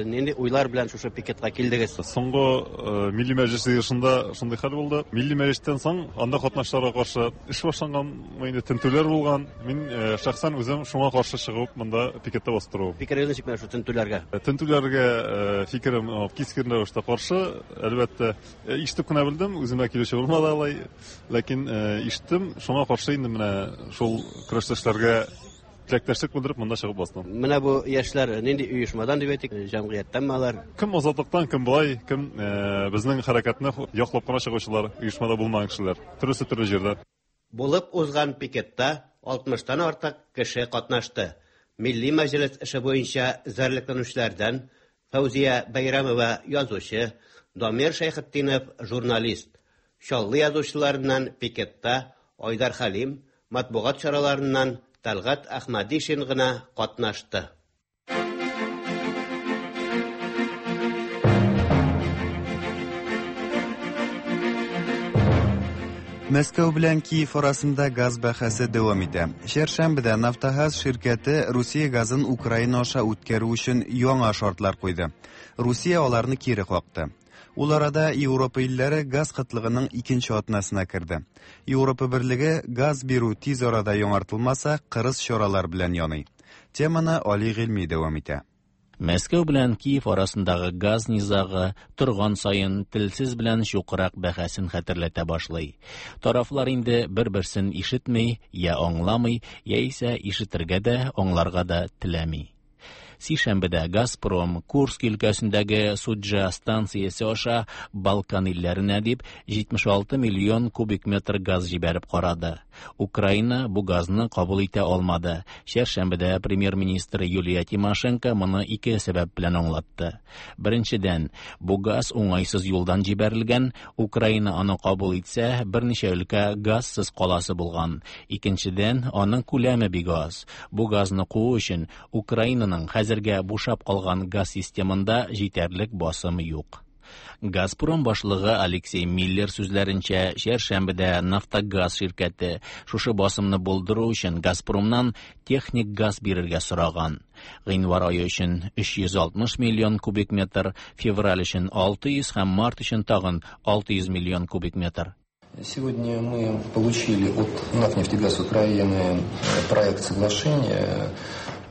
[SPEAKER 4] нинди уйлар белән шушы пикетка килдегез?
[SPEAKER 23] Соңгы Милли Мәҗлес җыелышында шундый хәл булды. Милли Мәҗлестән соң анда катнашучыларга каршы эш башланган, инде тентүләр булган. Мин шәхсән үзем шуңа каршы чыгып, монда пикетта басып торуым.
[SPEAKER 4] Фикерегез ничек менә шул тентүләргә?
[SPEAKER 23] Тентүләргә фикерем кискен рәвештә каршы, әлбәттә. Ишетеп кенә белдем, үземә килүче булмады алай. Ләкин ишеттем, шуңа каршы инде менә шул көрәштәшләргә теләктәшлек белдереп монда чыгып бастым.
[SPEAKER 4] Менә бу яшьләр нинди оешмадан дип әйтик, җәмгыятьтәнме алар?
[SPEAKER 23] Кем Азатлыктан, кем болай, кем безнең хәрәкәтне яклап кына чыгучылар, оешмада булмаган кешеләр. Төрлесе төрле җирдә.
[SPEAKER 4] Булып узган пикетта алтмыштан артык кеше катнашты. Милли Мәҗлес эше буенча эзәрлекләнүчеләрдән Фәүзия Бәйрәмова язучы, Дамир Шәйхетдинов журналист, Чаллы язучыларыннан пикетта Айдар Хәлим, матбугат чараларыннан Тәлгать Әхмәдишин гына катнашты.
[SPEAKER 1] Мәскәү белән Киев арасында газ бәхәсе дәвам итә. Чәршәмбедә Нафтогаз ширкәте Русия газын Украина аша үткәрү өчен яңа шартлар куйды. Русия аларны кире какты. Ул арада Европа илләре газ кытлыгының икенче атнасына керде. Европа Берлеге газ бирү тиз арада яңартылмаса, кырыс чаралар белән яный. Теманы Али Гыйльми дәвам итә.
[SPEAKER 2] Мәскәү белән Киев арасындагы газ низагы торган саен телсез белән чукрак бәхәсен хәтерләтә башлый. Тарафлар инде бер-берсен ишетми, я аңламый, яисә ишетергә дә, аңларга да теләми. Сишәмбедә Газпром Курск өлкәсендәге Суджа станциясе аша Балкан илләренә дип 76 миллион кубик метр газ җибәреп карады. Украина бу газны кабул итә алмады. Чәршәмбедә премьер-министр Юлия Тимошенко моны ике сәбәп белән аңлатты. Беренчедән, бу газ уңайсыз юлдан җибәрелгән, Украина аны кабул итсә, берничә өлкә газсыз каласы булган. Икенчедән, аның күләме бик аз. Бу газны куу өчен Украинаның хәзергә бушап калган газ системында җитәрлек басым юк. Газпром башлыгы Алексей Миллер сүзләренчә, чәршәмбедә Нафтогаз ширкәте шушы басымны булдыру өчен Газпромнан техник газ бирергә сораган. Гыйнвар ае өчен 360 миллион кубик метр, февраль өчен 600 һәм март өчен тагын 600 миллион кубик метр.
[SPEAKER 6] Сегодня мы получили от НАК «Нефтегаз Украины» проект соглашения.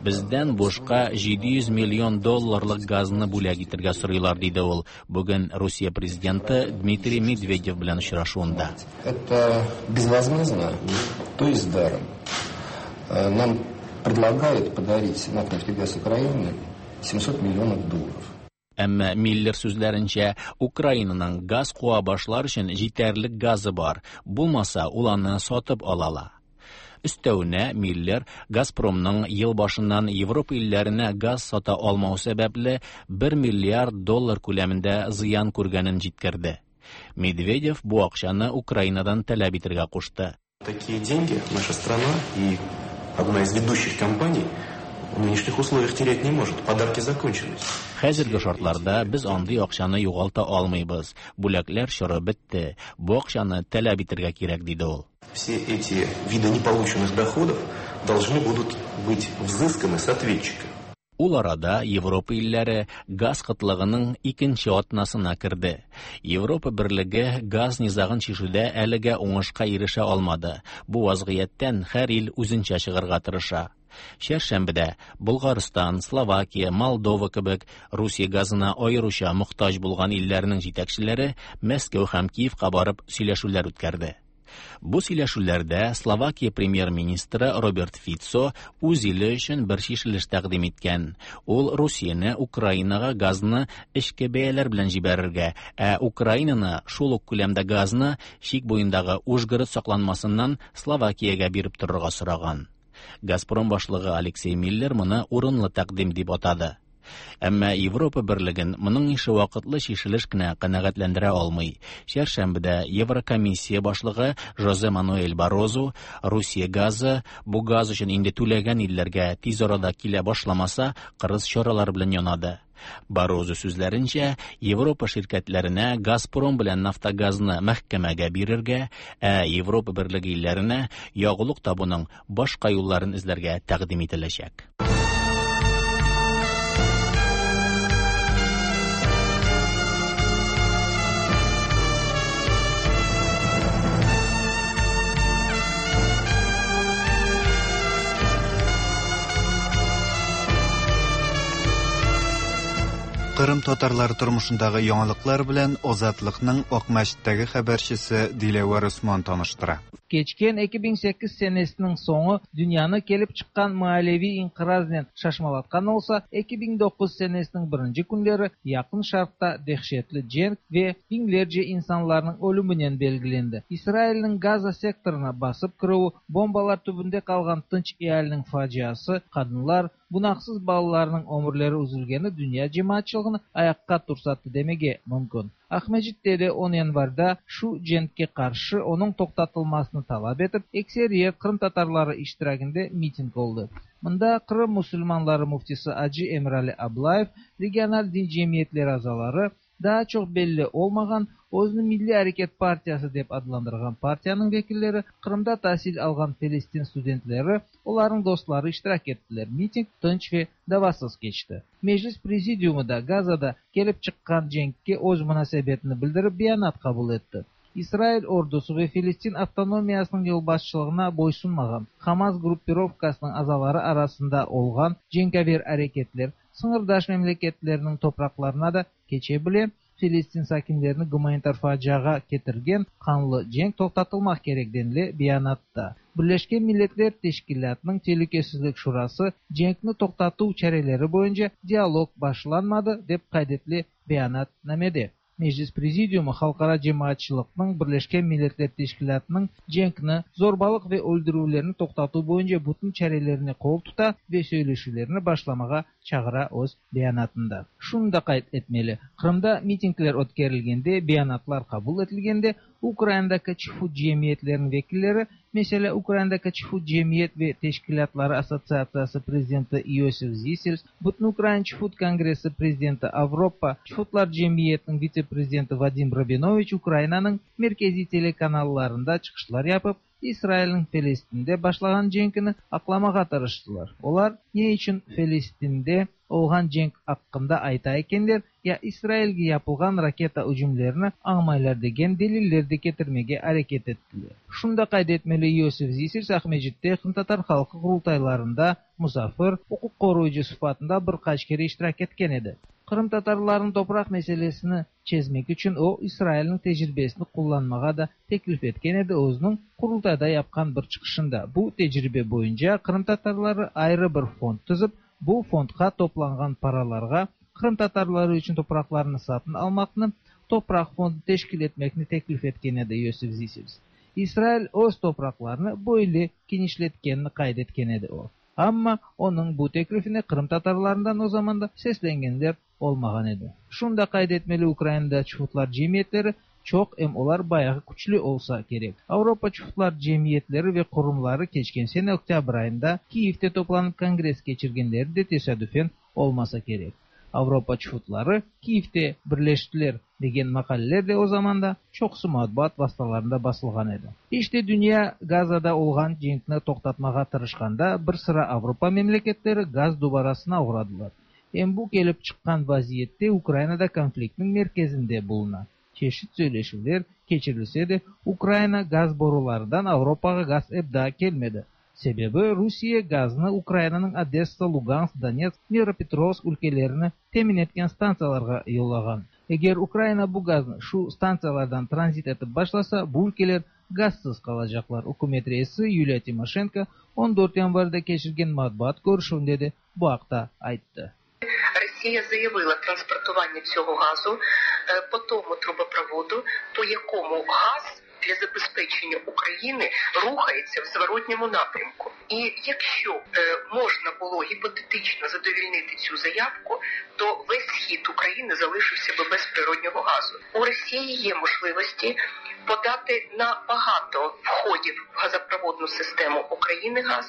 [SPEAKER 2] Бездән бушка 700 миллион долларлык газны бүләк итәргә сорыйлар, диде ул бүген Русия президенты Дмитрий Медведев белән очрашуында.
[SPEAKER 6] Это безвозмездно, то есть даром. Нам предлагают подарить НАК «Нефтегаз Украины» 700 миллионов долларов.
[SPEAKER 2] Әмма Миллер сүзләренчә, Украинаның газ куа башлар өчен җитәрлек газы бар, булмаса, ул аны сатып ала ала. Өстәвенә Миллер Газпромның ел башыннан Европа илләренә газ сата алмау сәбәпле 1 миллиард доллар күләмендә зыян күргәнен җиткерде. Медведев бу акчаны Украинадан таләп итәргә кушты.
[SPEAKER 7] Такие деньги наша страна и одна из ведущих компаний в нынешних условиях терять не может. Подарки закончились.
[SPEAKER 2] Хәзерге шартларда без андый акчаны югалта алмыйбыз. Бүләкләр чоры бетте. Бу акчаны таләп итәргә кирәк, диде ул.
[SPEAKER 7] Все эти виды неполученных доходов должны будут быть взысканы с ответчика.
[SPEAKER 2] Ул арада Европа илләре газ кытлыгының икенче атнасына керде. Европа берлеге газ низагын чишүдә әлегә уңышка ирешә алмады. Бу вазгыятьтән һәр ил үзенчә чыгарга тырыша. Чәршәмбедә Болгарстан, Словакия, Молдова кебек Русия газына аеруча мохтаҗ булган илләрнең җитәкчеләре Мәскәү һәм Киевка барып сөйләшүләр үткәрде. Бу сөйләшүләрдә Словакия премьер-министры Роберт Фицо үз иле өчен бер чишелеш тәкъдим иткән. Ул Русияне Украинага газны эчке бәяләр белән җибәрергә, ә Украинаны шул ук күләмдә газны чик буендагы Ужгород сакланмасыннан Словакиягә биреп торырга сораган. Газпром башлыгы Алексей Миллер моны урынлы тәкъдим дип атады. Әмма Европа берлеген моның ише вакытлы чишелеш кенә канәгатьләндерә алмый. Чәршәмбедә Еврокомиссия башлыгы Жозе Мануэль Баррозу Русия газы бу газ өчен инде түләгән илләргә тиз арада килә башламаса, кырыс чаралар белән янады. Баррозу сүзләренчә, Европа ширкәтләренә Газпром белән Нафтогазны мәхкәмәгә бирергә, ә Европа берлеге илләренә ягулык табуның башка юлларын эзләргә тәкъдим ителәчәк.
[SPEAKER 1] Кырым татарлары тормышындагы яңалыклар белән Азатлыкның Акмәчеттәге хәбәрчесе Диләвәр Усман таныштыра.
[SPEAKER 9] Keçken 2008 senesiniñ soñu dünyanı kelip çıqqan maaleviy inqiraznen şaşmalatqan olsa, 2009 senesiniñ birinci künleri Yaqın Şarqta dehşetli cenk ve biñlerce insanlarnıñ ölüminen belgilendi. İsrailniñ Gaza sektorına basıp kirüvi, bombalar tübünde qalğan tınç ealiniñ faciası, qadınlar, günahsız balalarnıñ ömürleri üzülgeni dünya cemaatçılığını ayaqqa tursattı demege mümkün. Aqmescitte de on yanvarda şu cenkke qarşı onıñ toqtatılmasını talap etip, ekseriyet qırımtatarları iştiraginde miting oldı. Mında Qırım musulmanları müftisi acı Emirali Ablayev, regional din cemiyetleri azaları, Daa çoq belli olmağan, özüni Milliy areket partiyası dep adlandırğan partiyanıñ vekilleri, Qırımda tasil alğan Felestin studentleri, olarnıñ dostları iştirak ettiler. Miting tınç ve davasız keçti. Meclis Prezidiumı da Gazada kelip çıqqan cenkke öz munasebetini bildirip beyanat qabul etti. İsrail ordusı ve Felestin avtonomiyasınıñ yolbaşçılığına boysunmağan Hamas gruppirovkasınıñ azaları arasında olğan cenkâver areketler sıñırdaş memleketlerniñ topraqlarına da keçe bile, Felestin sakinlerini gumanitar faciağa ketirgen qanlı cenk toqtatılmaq kerek, denile beyanatta. Birleşken Milletler Teşkilâtınıñ Telükesizlik Şurası cenkni toqtatuv çareleri boyunca dialog başlanmadı, dep qayd etile beyanatnamede. Meclis Prezidiumı halqara cemaatçılıqnıñ Birleşken Milletler Teşkilâtınıñ cenkni, zorbalıq ve öldürüvlerni toqtatuv boyunca bütün çarelerine qol tuta ve söyleşüvlerni başlamağa çağıra öz beyanatında. Şunı da qayd etmeli, Qırımda mitingler ötkerilgende, beyanatlar qabul etilgende Ukrainadaki çufut cemiyetleriniñ vekilleri, meselâ, Ukrainadaki çufut cemiyet ve teşkilâtları assotsiatsiyası prezidenti İosif Zisels, Bütünukrain çufut kongressi prezidenti, Avropa çufutlar cemiyetiniñ vitse-prezidenti Vadim Rabinoviç Ukrainanıñ merkeziy telekanallarında çıqışlar yapıp, İsrailniñ Felestinde başlağan cenkini aqlamağa tırıştılar. Olar ne içün Felestinde olğan cenk aqqında ayta ekenler, ya İsrailge yapılğan raketa ücümlerini añmaylar degen deliller de ketirmege areket ettiler. Şunı da qayd etmeli, İosif Zisels Aqmescitte Qırımtatar halqı qurultaylarında musafir, uquq qoruyıcı sıfatında bir qaç kere iştirak etken edi. Qırımtatarlarnıñ topraq meselesini çezmek içün o, İsrailniñ tecribesini qullanmağa da teklif etken edi özüniñ Qurultayda yapqan bir çıqışında. Bu tecribe boyunca qırımtatarları ayrı bir fond tizip, bu fondqa toplanğan paralarğa qırımtatarları içün topraqlarnı satın almaqnı, topraq fondu teşkil etmekni teklif etken edi Yosif Zisels. İsrail öz topraqlarını böyle kenişletkenini qayd etken edi o. Amma onıñ bu teklifine qırımtatarlarından o zamanda seslengenler olmağan edi. Şunı da qayd etmeli, Ukrainada çufutlar cemiyetleri çoq, em olar bayağı küçlü olsa kerek. Avropa çufutlar cemiyetleri ve qurumları keçken sene oktâbr ayında Kiyevde toplanıp kongress keçirgenleri de tesadüfen olmasa kerek. Avropa çufutları Kiyevde birleştiler degen maqaleler de o zamanda çoqusı matbuat vastalarında basılğan edi. İşte, dünya Gazada olğan cenkni toqtatmağa tırışqanda bir sıra Avropa memleketleri gaz dubarasına oğradılar. Em bu kelip çıqqan vaziyette Ukraina da konfliktniñ merkezinde buluna. Çeşit söyleşüvler keçirilse de, Ukraina gaz borularından Avropağa gaz ep daa kelmedi. Sebebi, Rusiye gaznı Ukrainanıñ Odessa, Lugansk, Donetsk, Dnepropetrovsk ülkelerini temin etken stantsiyalarğa yollağan. Eger Ukraina bu gaznı şu stantsiyalardan tranzit etip başlasa, bu ülkeler gazsız qalacaqlar. Ükümet reisi Yuliya Timoşenko on dört yanvarde keçirgen matbuat körüşüvinde de bu aqta ayttı.
[SPEAKER 8] Росія заявила транспортування цього газу по тому трубопроводу, по якому газ для забезпечення України рухається в зворотньому напрямку. І якщо можна було гіпотетично задовільнити цю заявку, то весь схід України залишився би без природнього газу. У Росії є можливості подати на багато входів в газопроводну систему України газ,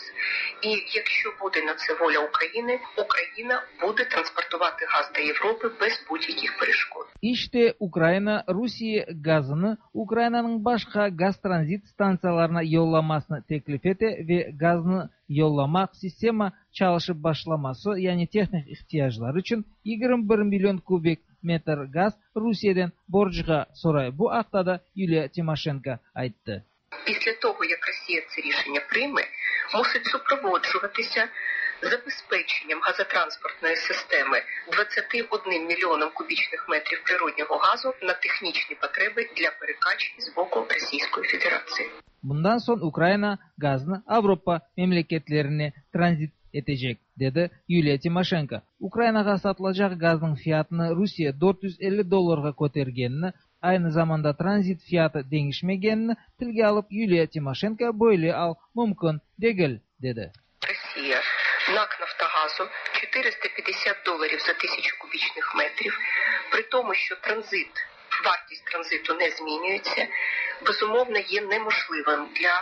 [SPEAKER 8] і якщо буде на це воля України, Україна буде транспортувати газ до Європи без будь-яких перешкод.
[SPEAKER 9] İşte, Ukraina Rusiye gazını Ukrainanıñ başqa gaz tranzit stantsiyalarına yollamasını teklif ete ve gaznı yollamaq sistema çalışıp başlaması, yani tehnik ihtiyaclar içün 21 million kubik metr gaz Rusiyeden borcğa soray. Bu aqta da Yuliya Timoşenko ayttı.
[SPEAKER 8] Після того, як Росія це рішення прийме, мусить супроводжуватися забезпеченням газотранспортної системи 21 мільйоном кубічних метрів природнього газу на технічні потреби для перекачки з боку Російської Федерації.
[SPEAKER 9] Bundan soñ Ukraina gaznı Avropa memleketlerine tranzit etecek, dedi Yuliya Timoşenko. Ukrainağa satılacaq gaznıñ fiyatını Rusiye 450 dollarğa kötergenini, aynı zamanda tranzit fiyatı deñişmegenini tilge alıp Yuliya Timoşenko böyle al mümkün degil, dedi.
[SPEAKER 8] Росія НАК «Нафтогазу» 450 доларів за тисячу кубічних метрів, при тому, що транзит, вартість транзиту не змінюється, безумовно, є неможливим для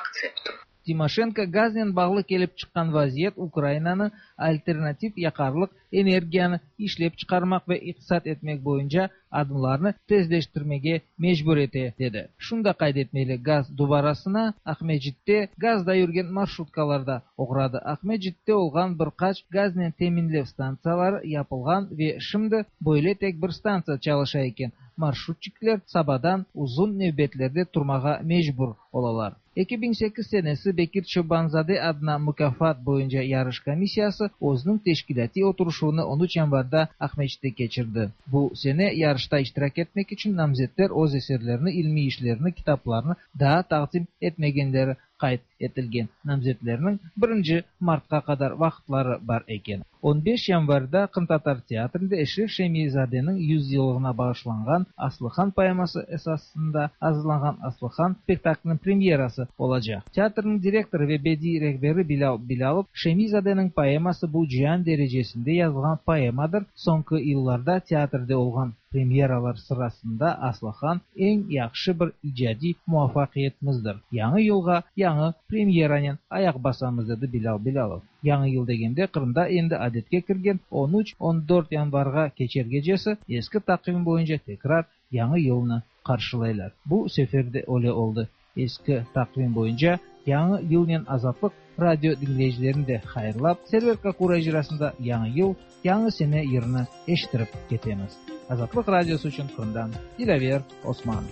[SPEAKER 8] акцепту.
[SPEAKER 9] Timoşenko gaznen bağlı kelip çıqqan vaziyet Ukrainanı alternativ yaqarlıq energiyanı işlep çıqarmaq ve iqtisat etmek boyunca adımlarnı tezleştirmege mecbur ete, dedi. Şunı da qayd etmeli, gaz dubarasına Aqmescitte gazda yürgen marşrutkalar da oğradı. Aqmescitte olğan bir qaç gaznen teminlev stantsiyaları yapılğan ve şimdi böyle tek bir stantsiya çalışa eken. Marşrutçikler sabadan uzun nevbetlerde turmağa mecbur olalar. 2008 senesi Bekir Çoban-zade adına mukâfat boyunca yarış komissiyası özüniñ teşkilâtiy oturışuvını on üç yanvarda Aqmescitte keçirdi. Bu sene yarışta iştirak etmek içün namzetler öz eserlerini, ilmiy işlerini, kitaplarını daa taqdim etmegenleri qayd etilgen. Namzetlerniñ birinci martqa qadar vaqıtları bar eken. On beş yanvarda Qırımtatar teatrinde Eşref Şemi-zadeniñ yüz yıllığına bağışlanğan Aslıhan poeması esasında azırlanğan Aslıhan spektakliniñ premyerası olacaq. Teatrniñ direktorı ve bediiy rehberi Bilâl Bilâlov, Şemi-zadeniñ poeması bu cian derecesinde yazılğan poemadır, soñki yıllarda teatrde olğan Premyeralar sırasında Aslıhan eñ yahşı bir icadiy muvafaqiyetimizdir. Yañı yılğa yañı premyeranen ayaq basamız, dedi Bilâl Bilâlov. Yañı yıl degende Qırımda endi adetke kirgen on üç, on dört yanvarğa keçer gecesi eski taqvim boyunca tekrar Yañı yılnı qarşılaylar. Bu sefer de öyle oldı. Eski taqvim boyunca Yañı yılnen Azatlıq Radio diñleyicilerini de hayırlap, Server Kakura icrasında Yañı yıl, yañı sene yırını eşittirip ketemiz. Azatlıq Radiosı içün Qırımdan Dilâver Osman.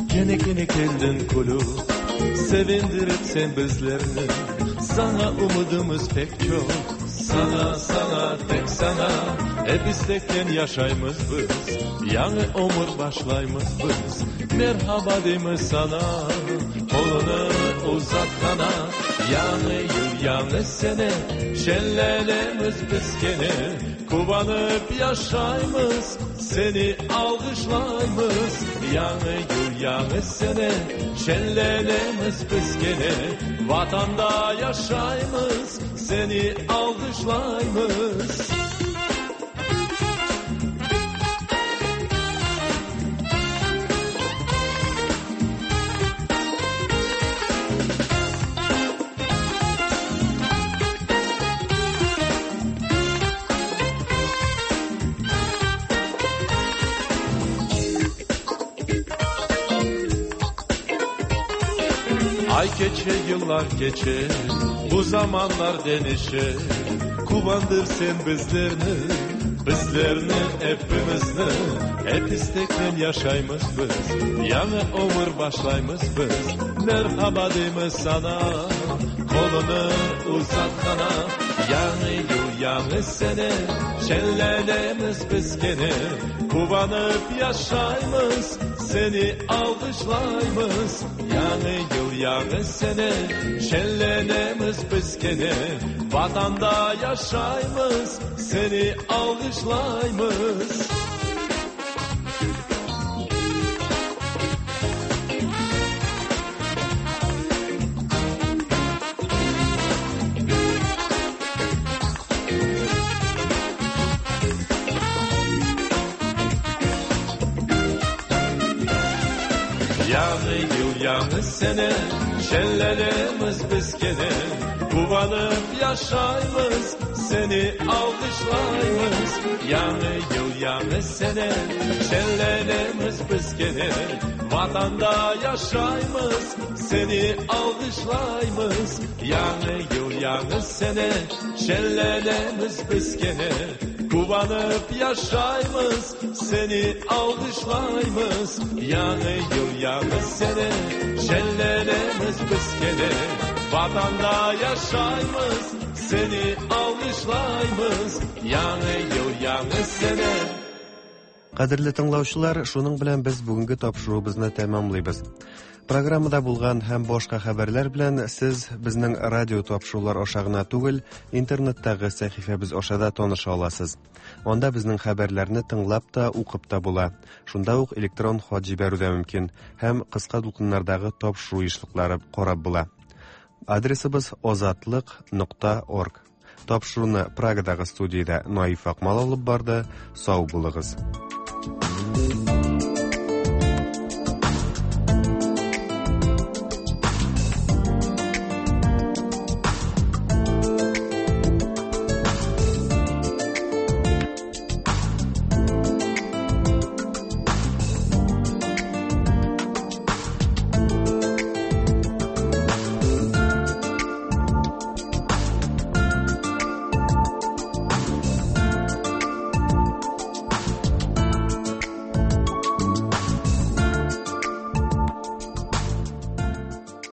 [SPEAKER 10] Kene kene keldin külüp, Sevindirip sen bizlerni, Saña ümüdimiz pek çoq, Saña, saña, tek saña, Ep isteknen yaşaymız biz, Yañı ömür başlaymız biz, Merhaba deymiz saña, Qolunı uzatqana, Yañı yıl, yañı sene, Şenlenemiz biz kene, Quvanıp yaşaymız, Seni alğışlaymız. Yañı yıl, yañı sene, Şenlenemiz biz kene, Vatanda yaşaymız, Seni alğışlaymız. Ay keçe, yıllar keçe, bu zamanlar deñişe, Quvandır sen bizlerni, bizlerni, epimizni, Ep isteknen yaşaymız biz, yañı ömür başlaymız biz, Merhaba deymiz saña, qolunı uzatqana, Yañı yıl, yañı sene, şenlenemiz biz kene, Quvanıp yaşaymız, seni alğışlaymız. Yañı yıl, yañı sene, şenlenemiz biz kene, Vatanda yaşaymız, seni alğışlaymız. Yañı yıl, yañı sene, şenlenemiz biz kene, Quvanıp yaşaymız, seni alğışlaymız. Yañı yıl, yañı sene, şenlenemiz biz kene, Vatanda yaşaymız, seni alğışlaymız. Yañı yıl, yañı sene, şenlenemiz biz kene, Quvanıp yaşaymız, seni alğışlaymız. Yañı yıl, yañı sene, şenlenemiz biz kene, Vatanda yaşaymız, seni alğışlaymız. Yañı yıl, yañı sene.
[SPEAKER 1] Кадерле тыңлаучылар, шуның белән без бүгенге тапшыруыбызны тәмамлыйбыз. Программада булган һәм башка хәбәрләр белән сез безнең радио тапшырулар аша гына түгел, интернеттагы сәхифәбез аша да таныша аласыз. Анда безнең хәбәрләрне тыңлап та, укып та була. Шунда ук электрон хат җибәрү дә мөмкин һәм кыска дулкыннардагы тапшыру ешлыклары карап була. Адресыбыз озатлык нокта орг. Тапшыруны Прагадагы студиядә Наиф Акмал алып барды. Сау булыгыз.